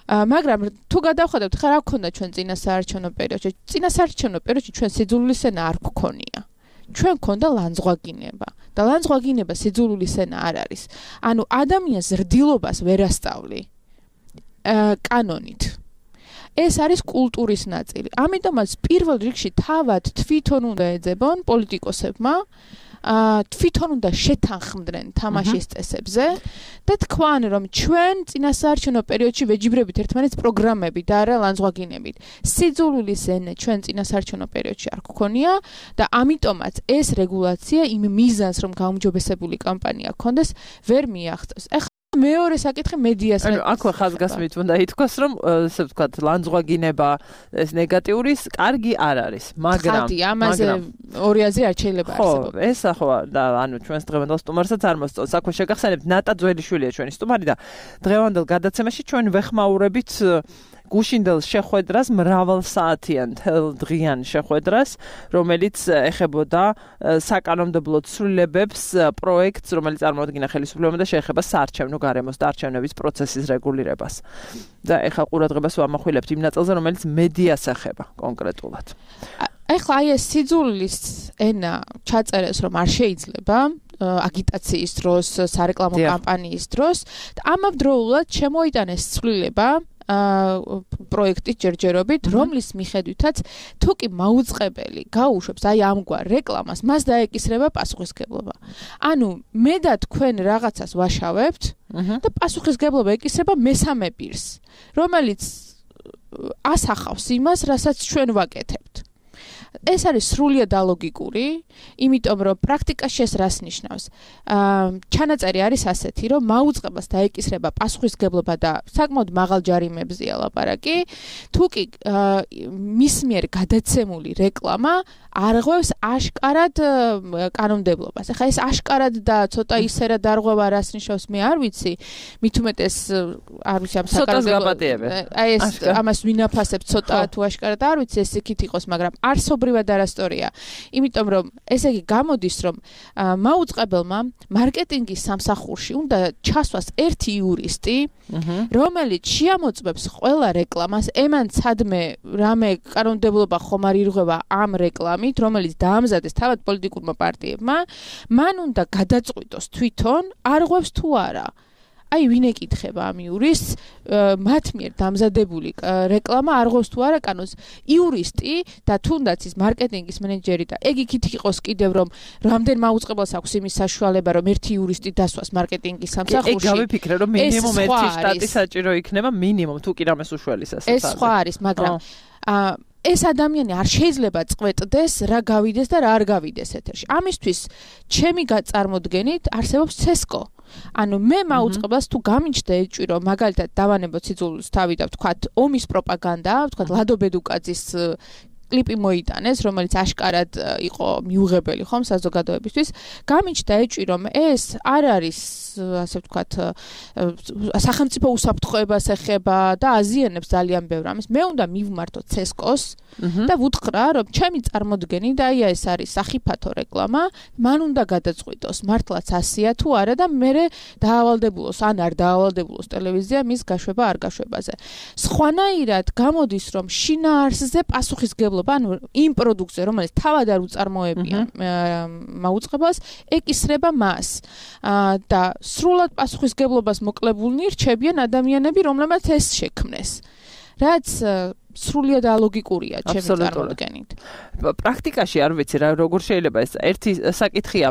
მაგრამ თუ გადავხედავთ ხა რა გქონდა ჩვენ წინასაარჩევნო პერიოდში წინასაარჩევნო პერიოდში ჩვენ სიძულვილის ენა არ გქონია. ჩვენ გქონდა ლანძღვაგინება და ლანძღვაგინება სიძულვილის ენა არ არის. ანუ ადამიანს ზრდილობას ვერ ასწავლი კანონით. ეს არის კულტურის ნაწილი. ამიტომაც პირველ რიგში თავად თვითონ უნდა ეძებონ პოლიტიკოსებმა თვითონ უნდა შეთანხმდნენ თამაშის წესებზე და თქვან რომ ჩვენ წინასაარჩევნო პერიოდში ვეჯიბრებით ერთმანეთს პროგრამები და არა ლანძღვაგინებით. სიძულვილის ენი ჩვენ წინასაარჩევნო პერიოდში არ გქონია და ამიტომაც ეს რეგულაცია იმ მიზანს რომ გაუმჯობესებული კამპანია გქონდეს ვერ მიაღწევს. მეორე საკითხი მედიას. ანუ აქვე ხაზგასმით უნდა ითქვას, რომ ესე ვთქვათ, ლანძღვაგინება ეს ნეგატიური კარგი არ არის, მაგრამ ხათი ამაზე ორი აზრი არ შეიძლება არსებობს. ხო, ეს ახო და ანუ ჩვენს დღევანდელ სტუმარსაც არ მოსწონს. აქვე შეგახსენებთ ნატა ძველიშვილია ჩვენი სტუმარი და დღევანდელ გადაცემაში ჩვენ ვეხმაურებით გუშინდელ შეხვედრას, მრავალსაათიან დღიან შეხვედრას, რომელიც ეხებოდა საკანონმდებლო ცვლილებებს, პროექტს, რომელიც წარმოადგინა ხელისუფლებამ და შეეხება საარჩევნო გარემოს და არჩევნების პროცესის რეგულირებას. და ეხლა ყურადღებას ვამახვილებთ იმ ნაწილზე, რომელიც მედიას ეხება კონკრეტულად. ეხლა აი ეს სიძულვილის ენა ჩაწერეს, რომ არ შეიძლება აგიტაციის დროს, სარეკლამო კამპანიის დროს, ამავდროულად შემოიტანეს ცვლილება პროექტის ჯერჯერობით, რომლის მიხედვითაც თუ კი მაუწყებელი გაუშვებს აი ამგვარ რეკლამას, მას დაეკისრება პასუხისმგებლობა. ანუ მე და თქვენ რაღაცას ვაშავებთ და პასუხისმგებლობა ეკისრება მესამე პირს, რომელიც ასახავს იმას, რასაც ჩვენ ვაკეთებთ. ეს არის სრულიად ალოგიკური, იმიტომ რომ პრაქტიკაში ეს რას ნიშნავს? აა ჩანაწერი არის ასეთი, რომ მაუწყებას დაეკისრება პასუხისმგებლობა და საკმაოდ მაღალ ჯარიმებზეა ლაპარაკი, თუ კი მის მიერ გადაცემული რეკლამა არღვევს აშკარად კანონმდებლობას. ახლა ეს აშკარად და ცოტა ისერად არღვევა რას ნიშნავს, მე არ ვიცი, მით უმეტეს არ ვიცი ამ საკანონმდებლო. აი ეს ამას ვინაფასებ ცოტა თუ აშკარად არ ვიცი, ეს იქით იყოს, მაგრამ არსობრივად არასტორია. იმიტომ რომ ესე იგი გამოდის, რომ მაუწყებელმა მარკეტინგის სამსახურში უნდა ჩასვას ერთი იურისტი, რომელიც შეამოწმებს ყველა რეკლამას, ემან ცადმე რამე კანონმდებლობა ხომ არ ირღვევა ამ რეკლამით, რომელიც დაამზადეს თავად პოლიტიკურმა პარტიებმა, მან უნდა გადაწყვიტოს თვითონ არღვევს თუ არა. აი ვინ ეკითხება ამ იურისტს, მათ მიერ დამზადებული რეკლამა არღვევს თუ არა კანონს. იურისტი და თუნდაც ის მარკეტინგის მენეჯერი და ეგ იქით იყოს კიდევ რომ რამდენ მაუწყებელს აქვს იმის საშუალება რომ ერთი იურისტი დასვას მარკეტინგის სამსახურში. ეგ გავიფიქრე რომ მინიმუმ ერთი შტატი საჭირო იქნება მინიმუმ თუ კი რამეს უშველის ასე. ეს სხვა არის, მაგრამ აა ეს ადამიანი არ შეიძლება წყვეტდეს რა გავიდეს და რა არ გავიდეს ეთერში. ამისთვის ჩემი გაწარმოდგენით არსებობს ცესკო. ანუ მე მაუწყებელს თუ გამიჩნდა ეჭვი რომ მაგალითად დავანებოთ სიძულვილს თავი და ვთქვათ ომის პროპაგანდა, ვთქვათ ლადო ბედუკაძის კლიპი მოიტანეს, რომელიც აშკარად იყო მიუღებელი ხომ საზოგადოებისთვის, გამიჩნდა ეჭვი რომ ეს არ არის ასე ვთქვათ სახელმწიფო უსაფრთხოებას ეხება და აზიანებს ძალიან ბევრ ამის. მე უნდა მივმართო ცესკოს და ვუთხრა რომ ჩემი წარმოდგენი და აი ეს არის სახიფათო რეკლამა, მან უნდა გადაწყვიტოს მართლაც ასია თუ არა და მე დაავალდებულოს ან არ დაავალდებულოს ტელევიზია მის გაშვება არ გაშვებაზე. სხვანაირად გამოდის რომ შინაარსზე პასუხისმგებლობა ანუ იმ პროდუქტზე რომელიც თავად არ უწარმოებიან მაუწყებელს ეკისრება მას და სრულად პასუხისმგებლობას მოკლებულნი რჩებიან ადამიანები, რომლებმაც ეს შექმნეს. რაც სრულიად ალოგიკურია ჩემი წარმოდგენით. პრაქტიკაში არ ვიცი რა როგორ შეიძლება ეს ერთი საკითხია.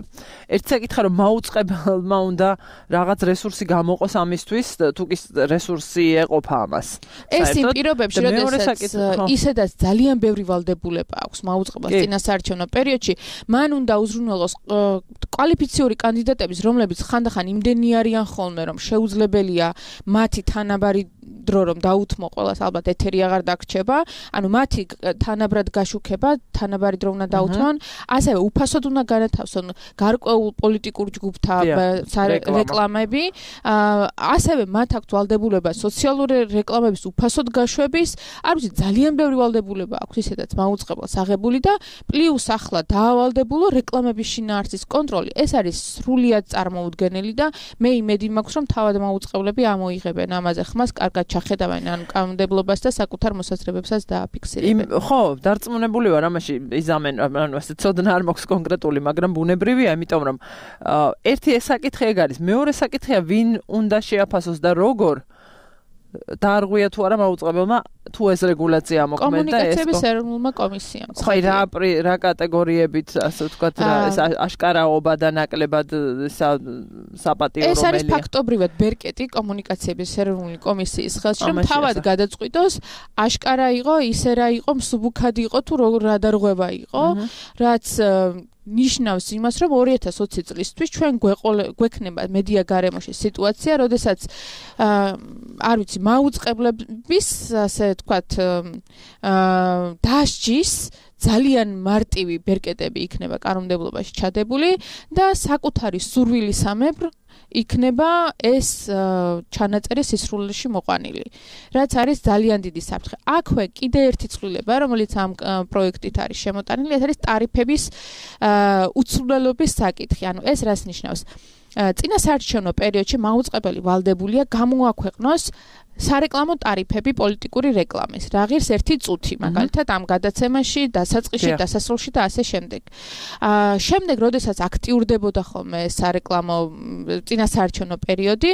ერთი საკითხია რომ მაუწყებელმა უნდა რაღაც რესურსი გამოყოს ამისთვის, თუ კი რესურსი ეყოფა ამას. ეს იმ პირობებში, როდესაც ისედაც ძალიან ბევრი ვალდებულება აქვს მაუწყებელს წინასაარჩევნო პერიოდში, მან უნდა უზრუნველოს კვალიფიციური კანდიდატების, რომლებიც ხანდახან იმდენი არიან ხოლმე, რომ შეუძლებელია მათი თანაბარი დრო რომ დაუთმო ყველას, ალბათ ეთერი აღარ დაგრჩება, ანუ მათი თანაბრად გაშუქება, თანაბარი დრო უნდა დაუთმონ, ასევე უფასოდ უნდა განათავსონ გარკვეულ პოლიტიკურ ჯგუფთა რეკლამები, ასევე მათ აქვთ ვალდებულება სოციალური რეკლამების უფასოდ გაშვების, არ ვიცი, ძალიან ბევრი ვალდებულება აქვს ისედაც მაუწყებელს აღებული და პლუს ახლა დაავალდებულო რეკლამების შინაარსის კონტროლი. ეს არის სრულიად წარმოუდგენელი და მე იმედი მაქვს, რომ თავად მაუწყებლები ამოიღებენ ამაზე ხმას, კარგად ჩახედავენ ან კანონმდებლობას და საკუთარ მოსაზრებებსაც დააფიქსირებენ. ხო, დარწმუნებული ვარ ამაში იზამენ, ანუ ასე ცოდნა არ მაქვს კონკრეტული, მაგრამ ბუნებრივია, იმიტომ რომ ერთი ეს საკითხი ეგ არის, მეორე საკითხია ვინ უნდა შეაფასოს და როგორ დაარღვია თუ არა მაუწყებელმა თუ ეს რეგულაცია მოქმედდა ეს კომუნიკაციების ეროვნულმა კომისიამ. ხო, რა რა კატეგორიებით, ასე ვთქვათ, რა ეს აშკარაობა და ნაკლებად საპატიო რომელია. ეს არის ფაქტობრივად ბერკეტი კომუნიკაციების ეროვნული კომისიის ხელში, რომ თავად გადაწყვიტოს აშკარა იყო, ისე რა იყო, მსუბუქად იყო თუ რა დარღვევა იყო, რაც ნიშნავს იმას, რომ ორი ათას ოცი წლისთვის ჩვენ გვექნება მედია გარემოში სიტუაცია, როდესაც არ ვიცი, მაუწყებლების, ასე ვთქვათ, დასჯის ძალიან მარტივი ბერკეტები იქნება კანონმდებლობაში ჩადებული და საკუთარი სურვილისამებრ იქნება ეს ჩანაწერი სისრულეში მოყვანილი. რაც არის ძალიან დიდი საფრთხე. აქვე კიდე ერთი ცვლილება, რომელიც ამ პროექტით არის შემოტანილი, ეს არის ტარიფების უცვლელობის საკითხი. ანუ ეს რას ნიშნავს? წინასაარჩევნო პერიოდში მაუწყებელი ვალდებულია გამოაქვეყნოს სარეკლამო ტარიფები პოლიტიკური რეკლამის. რა ღირს ერთი წუთი, მაგალითად ამ გადაცემაში, დასაწყისში, დასასრულში და ასე შემდეგ. აა შემდეგ, როდესაც აქტიურდებოდა ხოლმე სარეკლამო წინასაარჩევნო პერიოდი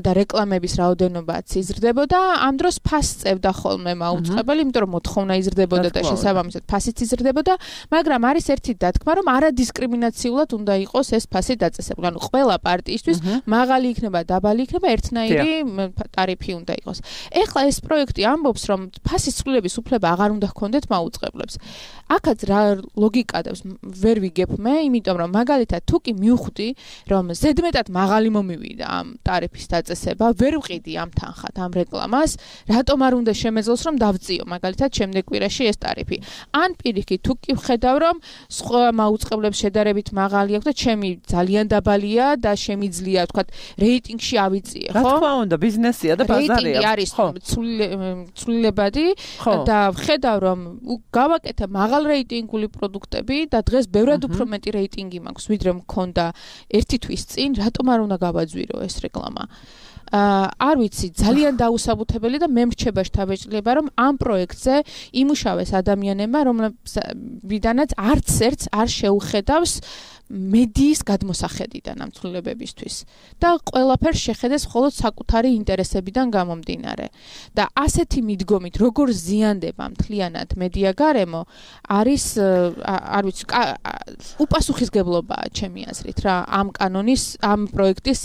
და რეკლამების რაოდენობაც იზრდებოდა, ამ დროს ფასს წევდა ხოლმე მაუწყებელი, იმიტომ რომ მოთხოვნა იზრდებოდა და შესაბამისად ფასიც იზრდებოდა, მაგრამ არის ერთი დათქმა, რომ არადისკრიმინაციულად უნდა იყოს ეს ფასი დაწესებული. ანუ ყველა პარტიისთვის მაღალი იქნება, დაბალი იქნება, ერთნაირი ტარიფი უნდა იყოს. ეხლა ეს პროექტი ამბობს, რომ ფასის ცვლილების უფლება აღარ უნდა ჰქონდეთ მაუწყებლებს. აქაც რა ლოგიკა დევს, ვერ ვიგებ მე, იმიტომ რომ მაგალითად თუ კი მივხვდი, რომ ზედმეტად მაღალი მომივიდა ამ ტარიფის დაწესება, ვერ ვყიდი ამ თანხად, ამ რეკლამას, რატომ არ უნდა შემეძლოს, რომ დავწიო მაგალითად შემდეგ კვირაში ეს ტარიფი. ან პირიქით, თუ კი ვხედავ, რომ სხვა მაუწყებლებს შედარებით მაღალი აქვს და ჩემი ძალიან დაბალია და შემიძლია, ვთქვათ, რეიტინგში ავიწიე, ხო? რა თქმა უნდა, ბიზნესია და ბაზარია. რეიტინგი არის ცვლილებადი და ვხედავ, რომ გავაკეთე მაღალ რეიტინგული პროდუქტები და დღეს ბევრად უფრო მეტი რეიტინგი მაქვს, ვიდრე მქონდა ერთი თვის წინ, რატომ არ უნდა გავაძვირო ეს რეკლამა? აა არ ვიცი, ძალიან დაუსაბუთებელი და მე მრჩება შთაბეჭდილება, რომ ამ პროექტზე იმუშავეს ადამიანებმა, რომლებიდანაც არც ერთს არ შეუხედავს მედიის გადმოსახედიდან ამ ცვლილებებისთვის და ყველაფერს შეხედეს მხოლოდ საკუთარი ინტერესებიდან გამომდინარე. და ასეთი მიდგომით, როგორ ზიანდება მთლიანად მედია გარემო, არის არ ვიცი, უპასუხისგებლობაა ჩემი აზრით რა ამ კანონის, ამ პროექტის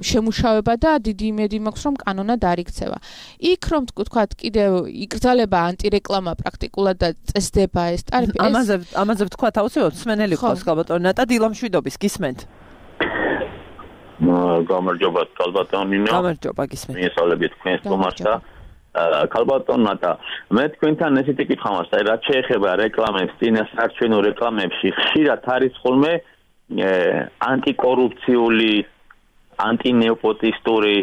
შემუშავება და დიდი იმედი მაქვს, რომ კანონად არ იქცევა. იქ რომ თქვათ, კიდევ იკრძალება ანტირეკლამა პრაქტიკულად და წესდება ეს ტარიფი. ამაზე ამაზე ვთქვათ, აუცილებლად მსმენელი ყავს ალბათ. ნატა დილამშვიდობის გისმენთ. გამარჯობა კალბატონინო. გამარჯობა გისმენთ. მიესალმებით თქვენს სტუმარს და კალბატონ ნატა. მე თქვენთან ესეთი კითხვა მაქვს, აი რაც შეეხება რეკლამებს, წინასაარჩევნო რეკლამებში, ხშირად არის ხოლმე ანტიკორუფციული, ანტინეოპოტისტური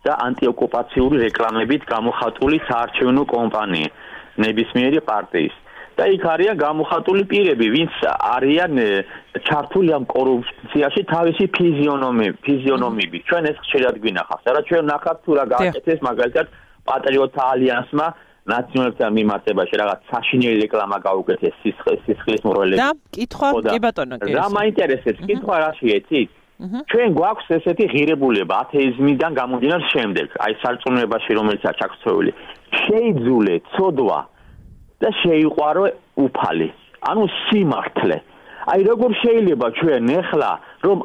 და ანტიოკუპაციური რეკლამებით გამოხატული საარჩევნო კომპანია ნებისმიერი პარტიის. და იქ არიან გამოხატული პირები, ვინც არიან ჩართული ამ კორუფციაში თავისი ფიზიონომი, ფიზიონომიებით. ჩვენ ეს ხშირად გვინახავს. არა ჩვენ ნახავთ თუ რა გააკეთეს მაგალითად პატრიოტთა ალიანსმა ნაციონალურთან მიმართებაში რაღაც საშინელი რეკლამა გაუკეთეს სისხლის სისხლის მრავლების. და კითხვა კი ბატონო, კი. რა მაინტერესებს? კითხვა რაში ეცით? ჩვენ გვაქვს ესეთი ღირებულება ათეიზმიდან გამომდინარე შემდეგ, აი სარწმუნოებაში რომელიცაა ჩაქცეული. შეიძულე ცოდვა და შეიყვარო უფალი. ანუ სიმართლე. აი როგორ შეიძლება ჩვენ ეხლა რომ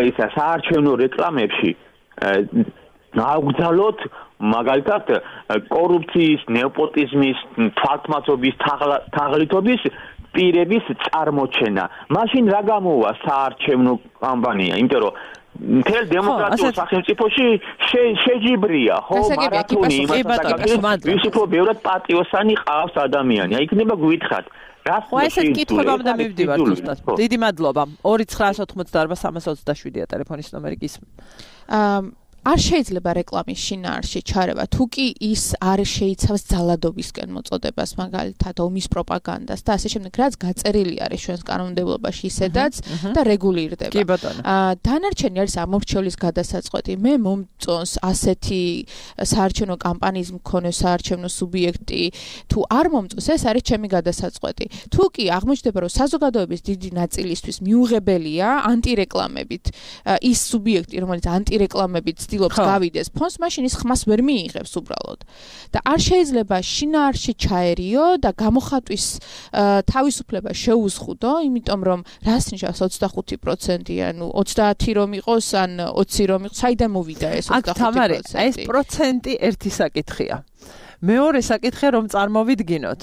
ისა საარჩევნო რეკლამებში გავგზავნოთ მაგალითად კორუფციის, ნეოპოტიზმის, თვალთმაცობის, თაღლითობის პირების წარმოჩენა. მაშინ რა გამოვა საარჩევნო კამპანია? იმიტომ რომ მთელ დემოკრატიულ სახელმწიფოში შეჯიბრია, ხო, მარათონი იმასაც, ვის უფრო ბევრად პატიოსანი ყავს ადამიანი. აი იქნება გვითხრათ. რას ხო ესეთ კითხვებამდე მივდივართ ზუსტად. დიდი მადლობა. ორი ცხრაას ოთხმოცდაარბა სამას ოცდაშვიდია ტელეფონის ნომერი გისმენთ. აა არ შეიძლება რეკლამის შინაარსში ჩარევა, თუ კი ის არ შეიცავს ძალადობისკენ მოწოდებას, მაგალითად ომის პროპაგანდას და ასე შემდეგ, რაც გაწერილი არის ჩვენს კანონმდებლობაში ისედაც და რეგულირდება. კი ბატონო. აა დანარჩენი არის ამორჩევლის გადასაწყვეტი. მე მომწონს ასეთი საარჩევნო კამპანიის მქონე საარჩევნო სუბიექტი, თუ არ მომწონს, ეს არის ჩემი გადასაწყვეტი. თუ კი აღმოჩნდება, რომ საზოგადოების დიდი ნაწილისთვის მიუღებელია ანტირეკლამებით ის სუბიექტი, რომელიც ანტირეკლამებით ცდილობს გავიდეს ფონს, მაშინ ის ხმას ვერ მიიღებს უბრალოდ. და არ შეიძლება შინაარსში ჩაერიო და გამოხატვის თავისუფლება შეუზღუდო, იმიტომ რომ რას ნიშნავს ოცდახუთი პროცენტი, ანუ ოცდაათი რომ იყოს, ან ოცი რომ იყოს, საიდან მოვიდა ეს ოცდახუთი პროცენტი? ეს პროცენტი ერთი საკითხია. მეორე საკითხია რომ წარმოვიდგინოთ,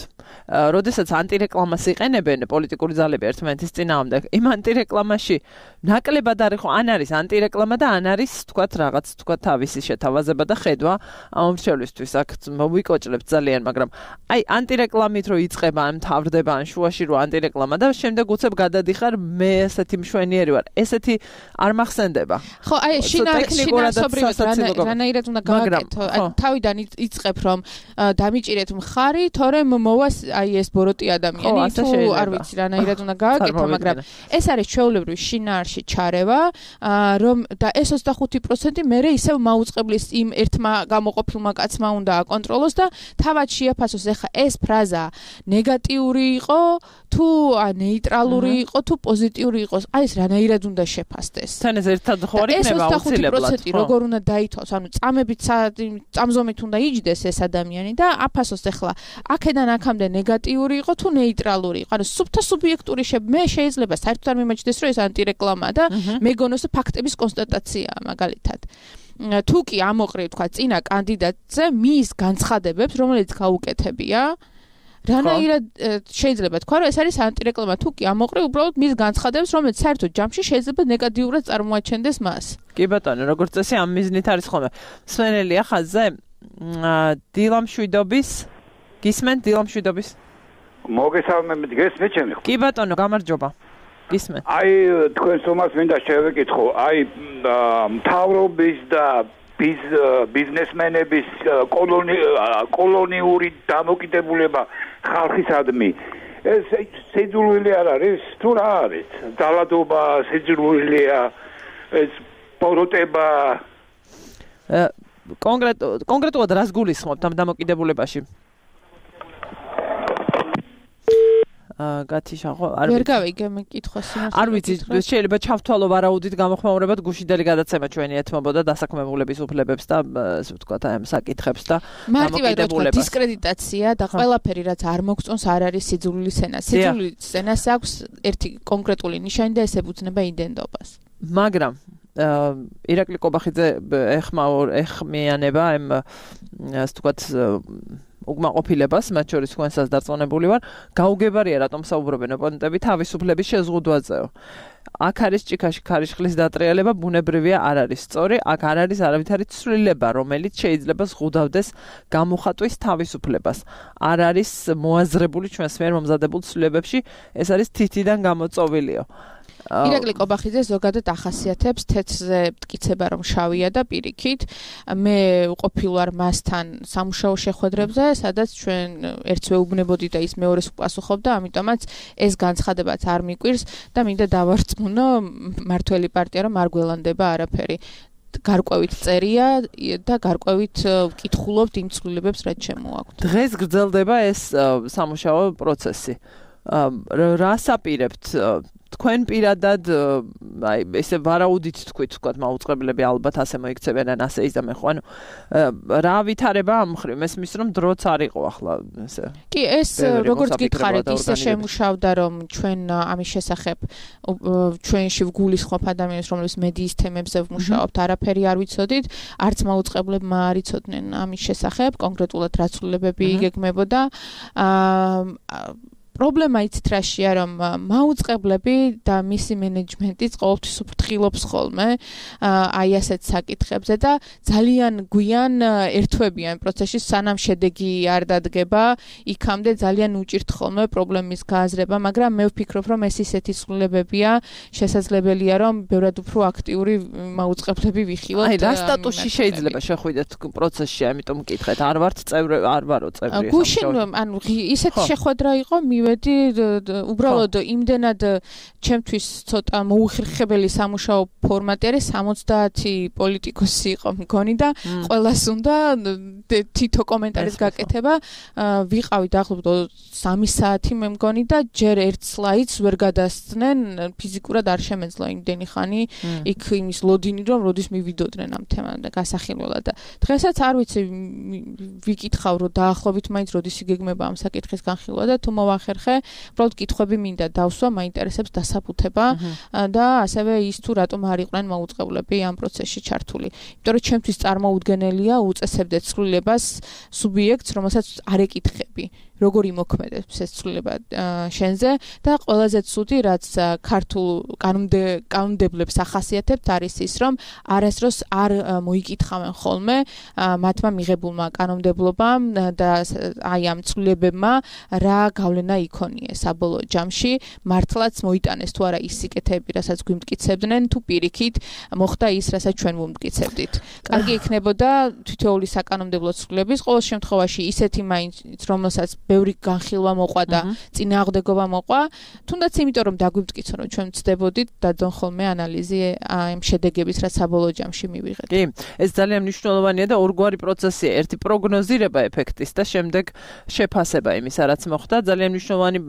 როდესაც ანტირეკლამას იყენებენ პოლიტიკური ძალები ერთმანეთის წინააღმდეგ, იმ ანტირეკლამაში ნაკლებად არის ხო, ან არის ანტირეკლამა და ან არის თქვათ რაღაც თქვათ თავისი შეთავაზება და ხედვა ამომრჩევლისთვის. აქ მოვიკოჭლებთ ძალიან, მაგრამ აი ანტირეკლამით რო იწყება, ან მთავრდება, ან შუაში რო ანტირეკლამა და შემდეგ უცებ გადადიხარ, მე ესეთი მშვენიერი ვარ. ესეთი არ მახსენდება. ხო, აი შინაარსობრივად რანაირად უნდა გავაკეთო. აი თავიდან იწყებ რომ დამიჭირეთ მხარი, თორემ მოვას აი ეს ბოროტი ადამიანი, თუ არ ვიცი რანაირად უნდა გავაკეთო, მაგრამ ეს არის ჩვეულებრივი შინაარსში ჩარევა, რომ და ეს ოცდახუთი პროცენტი მერე ისევ მაუწყებლის იმ ერთმა გამოყოფილმა კაცმა უნდა აკონტროლოს და თავად შეაფასოს. ეხა ეს ფრაზა ნეგატიური იყო, თუ ნეიტრალური იყო, თუ პოზიტიური იყოს, აი ეს რანაირად უნდა შეფასდეს. თან ეს ერთად ხო არ იქნება აუცილებლად. ეს ოცდახუთი პროცენტი როგორ უნდა დაითვალოს, ანუ წამებით წამზომით უნდა იჯდეს ეს ადამიანი და აფასოს ეხლა აქედან აქამდე ნეგატიური იყო თუ ნეიტრალური იყო. ანუ სუბთა სუბიექტური მე შეიძლება საერთოდ არ მიმაჩნდეს რომ ეს ანტირეკლამაა და მეგონოს ფაქტების კონსტატაციაა მაგალითად. თუ კი ამოყრევ თქვა წინა კანდიდატზე მის განცხადებებს, რომელიც გაუკეთებია, რანაირად შეიძლება თქვა რომ ეს არის ანტირეკლამა, თუ კი ამოყრევ უბრალოდ მის განცხადებებს, რომელიც საერთოდ ჯამში შეიძლება ნეგატიურად წარმოაჩენდეს მას. კი ბატონო, როგორც წესი ამ მიზნით არის ხოლმე. სვენელია ხაზზე დილამშვიდობის გისმენთ დილამშვიდობის მოგესალმებით გესმით ჩემი ხო? კი ბატონო, გამარჯობა. გისმენთ. აი თქვენს თომას მინდა შევეკითხო, აი მთავრობის და ბიზნესმენების კოლონიური დამოკიდებულება ხალხისადმი ეს სიძულვილი არ არის თუ რა არის? ძალადობა სიძულვილია, ეს ბოროტება კონკრეტულად კონკრეტულად რას გულისხმობთ ამ დამოკიდებულებაში? აა გათიშახო არ ვერ გავიგე მე კითხვას იმას. არ ვიცი, შეიძლება ჩავთვალო ვარაუდით გამოხმაურებად გუშინდელი გადაცემა ჩვენი ეთმობოდა დასაქმებულების უფლებებს და ასე ვთქვათ აი ამ საკითხებს და დამოკიდებულებას. დისკრედიტაცია და ყველაფერი რაც არ მოგწონს არ არის სიძულვილის ენა. სიძულვილის ენას აქვს ერთი კონკრეტული ნიშანი და ეს ებუცნება იდენტობას. მაგრამ ირაკლი კობახიძე ეხმაურ ეხმიანება ამ ასე ვთქვათ უკმაყოფილებას, მათ შორის თქვენსაც დარწმუნებული ვარ, გაუგებარია რატომ საუბრობენ ოპონენტები თავისუფლების შეზღუდვაზეო. აქ არის ჭიქაში ქარიშხლის დატრიალება, ბუნებრივია არ არის სწორი, აქ არ არის არავითარი ცვლილება, რომელიც შეიძლება ზღუდავდეს გამოხატვის თავისუფლებას. არ არის მოაზრებული ჩვენს მიერ მომზადებულ ცვლილებებში, ეს არის თითიდან გამოწოვილიო. ირაკლი კობახიძე ზოგადად ახასიათებს თეთრზე მტკიცება რომ შავია და პირიქით. მე უყოფილ ვარ მასთან სამუშაო შეხვედრებზე, სადაც ჩვენ ერთს ვეუბნებოდი და ის მეორეს უპასუხობდა, ამიტომაც ეს განცხადებაც არ მიკვირს და მინდა დავარწმუნო მართველი პარტია რომ არ გველანდება არაფერი. გარკვევით წერია და გარკვევით ვკითხულობთ იმ ცვლილებებს, რაც შემოაქვთ. დღეს გრძელდება ეს სამუშაო პროცესი. რას აპირებთ? თქვენ პირადად აი ესე ვარაუდით თქვით, თქვათ მაუწყებლები ალბათ ასე მოიქცევენ ან ასე ის და მე ხო ანუ რა ვითარება ამ მხრივ მესმის რომ დროც არ იყო ახლა ესე კი ეს როგორც გითხარით ისე შემუშავდა რომ ჩვენ ამის შესახებ ჩვენში ვგულისხმობ ადამიანებს რომლებიც მედიის თემებზე ვმუშაობთ არაფერი არ ვიცოდით არც მაუწყებლებმა არ იცოდნენ ამის შესახებ კონკრეტულად რა ცვლილებები იგეგმებოდა აა პრობლემა იცით რაშია რომ მაუწყებლები და მისი მენეჯმენტიც ყოველთვის უფრთხილობს ხოლმე აი ასეთ საკითხებზე და ძალიან გვიან ერთვებიან პროცესში სანამ შედეგი არ დადგება იქამდე ძალიან უჭირთ ხოლმე პრობლემის გააზრება მაგრამ მე ვფიქრობ რომ ეს ისეთი ცვლილებებია შესაძლებელია რომ ბევრად უფრო აქტიური მაუწყებლები ვიხილოთ აი რა სტატუსში შეიძლება შეხვიდეთ პროცესში ამიტომ მკითხეთ არ ვართ წევრი არ ვარო წევრი გუშინ ანუ ისეთი შეხვედრა იყო მივე იმედი უბრალოდ იმდენად ჩემთვის ცოტა მოუხერხებელი სამუშაო ფორმატი არის სამოცდაათი პოლიტიკოსი იყო მგონი და ყველას უნდა თითო კომენტარის გაკეთება ვიყავი დაახლოებით სამი საათი მე მგონი და ჯერ ერთ სლაიდს ვერ გადასცნენ ფიზიკურად არ შემეძლო იმდენი ხანი იქ იმის ლოდინი რომ როდის მივიდოდნენ ამ თემამ და გასახილველად და დღესაც არ ვიცი ვიკითხავ რომ დაახლოებით მაინც როდის იგეგმება ამ საკითხის განხილვა და თუ მოვახერხე უბრალოდ კითხვები მინდა დავსვა მაინტერესებს დასაბუთება და ასევე ის თუ რატომ არ იყვნენ მოუწყებლები ამ პროცესში ჩართული იმიტომ რომ ჩემთვის წარმოუდგენელია უწესებდე ცვლილებას სუბიექტს რომელსაც არ ეკითხები როგორი მოქმედებს ეს ცვლილება შენზე და ყველაზე ცუდი რაც ქართულ კანონმდებლებს ახასიათებთ არის ის რომ არასდროს არ მოიკითხავენ ხოლმე მათმა მიღებულმა კანონმდებლობამ და აი ამ ცვლილებებმა რა გავლენა იქონია საბოლოო ჯამში მართლაც მოიტანეს თუ არა ის სიკეთეები რასაც გვიმტკიცებდნენ თუ პირიქით მოხდა ის რასაც ჩვენ ვუმტკიცებდით კარგი იქნებოდა თითოეული საკანონმდებლო ცვლილების ყოველ შემთხვევაში ისეთი მაინც რომელსაც ბევრი განხილვა მოყვა და წინააღმდეგობა მოყვა, თუნდაც იმიტომ რომ დაგვიმტკიცო რომ ჩვენ ვწდებოდით დადონ ხოლმე ანალიზი ამ შედეგების რაც საბოლოო ჯამში მივიღეთ. კი, ეს ძალიან მნიშვნელოვანია და ორგვარი პროცესია, ერთი პროგნოზირება ეფექტის და შემდეგ შეფასება იმისა რაც მოხდა, ძალიან მნიშვნელოვანი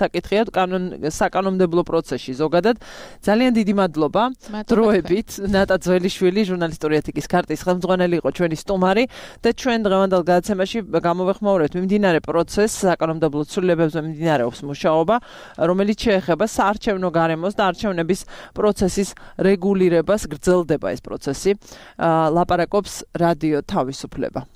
საკითხია კანონ საკანონმდებლო პროცესში ზოგადად. ძალიან დიდი მადლობა დროებით ნატა ძველიშვილი ჟურნალისტური ეთიკის ქარტის ხელმძღვანელი იყო ჩვენი სტუმარი და ჩვენ დღევანდელ გადაცემაში გამოვეხმაურებთ მიმდინარე პროცესს საკანონმდებლო ცვლილებებზე მიმდინარეობს მუშაობა, რომელიც შეეხება საარჩევნო გარემოს და არჩევნების პროცესის რეგულირებას, გრძელდება ეს პროცესი. ლაპარაკობს რადიო თავისუფლება.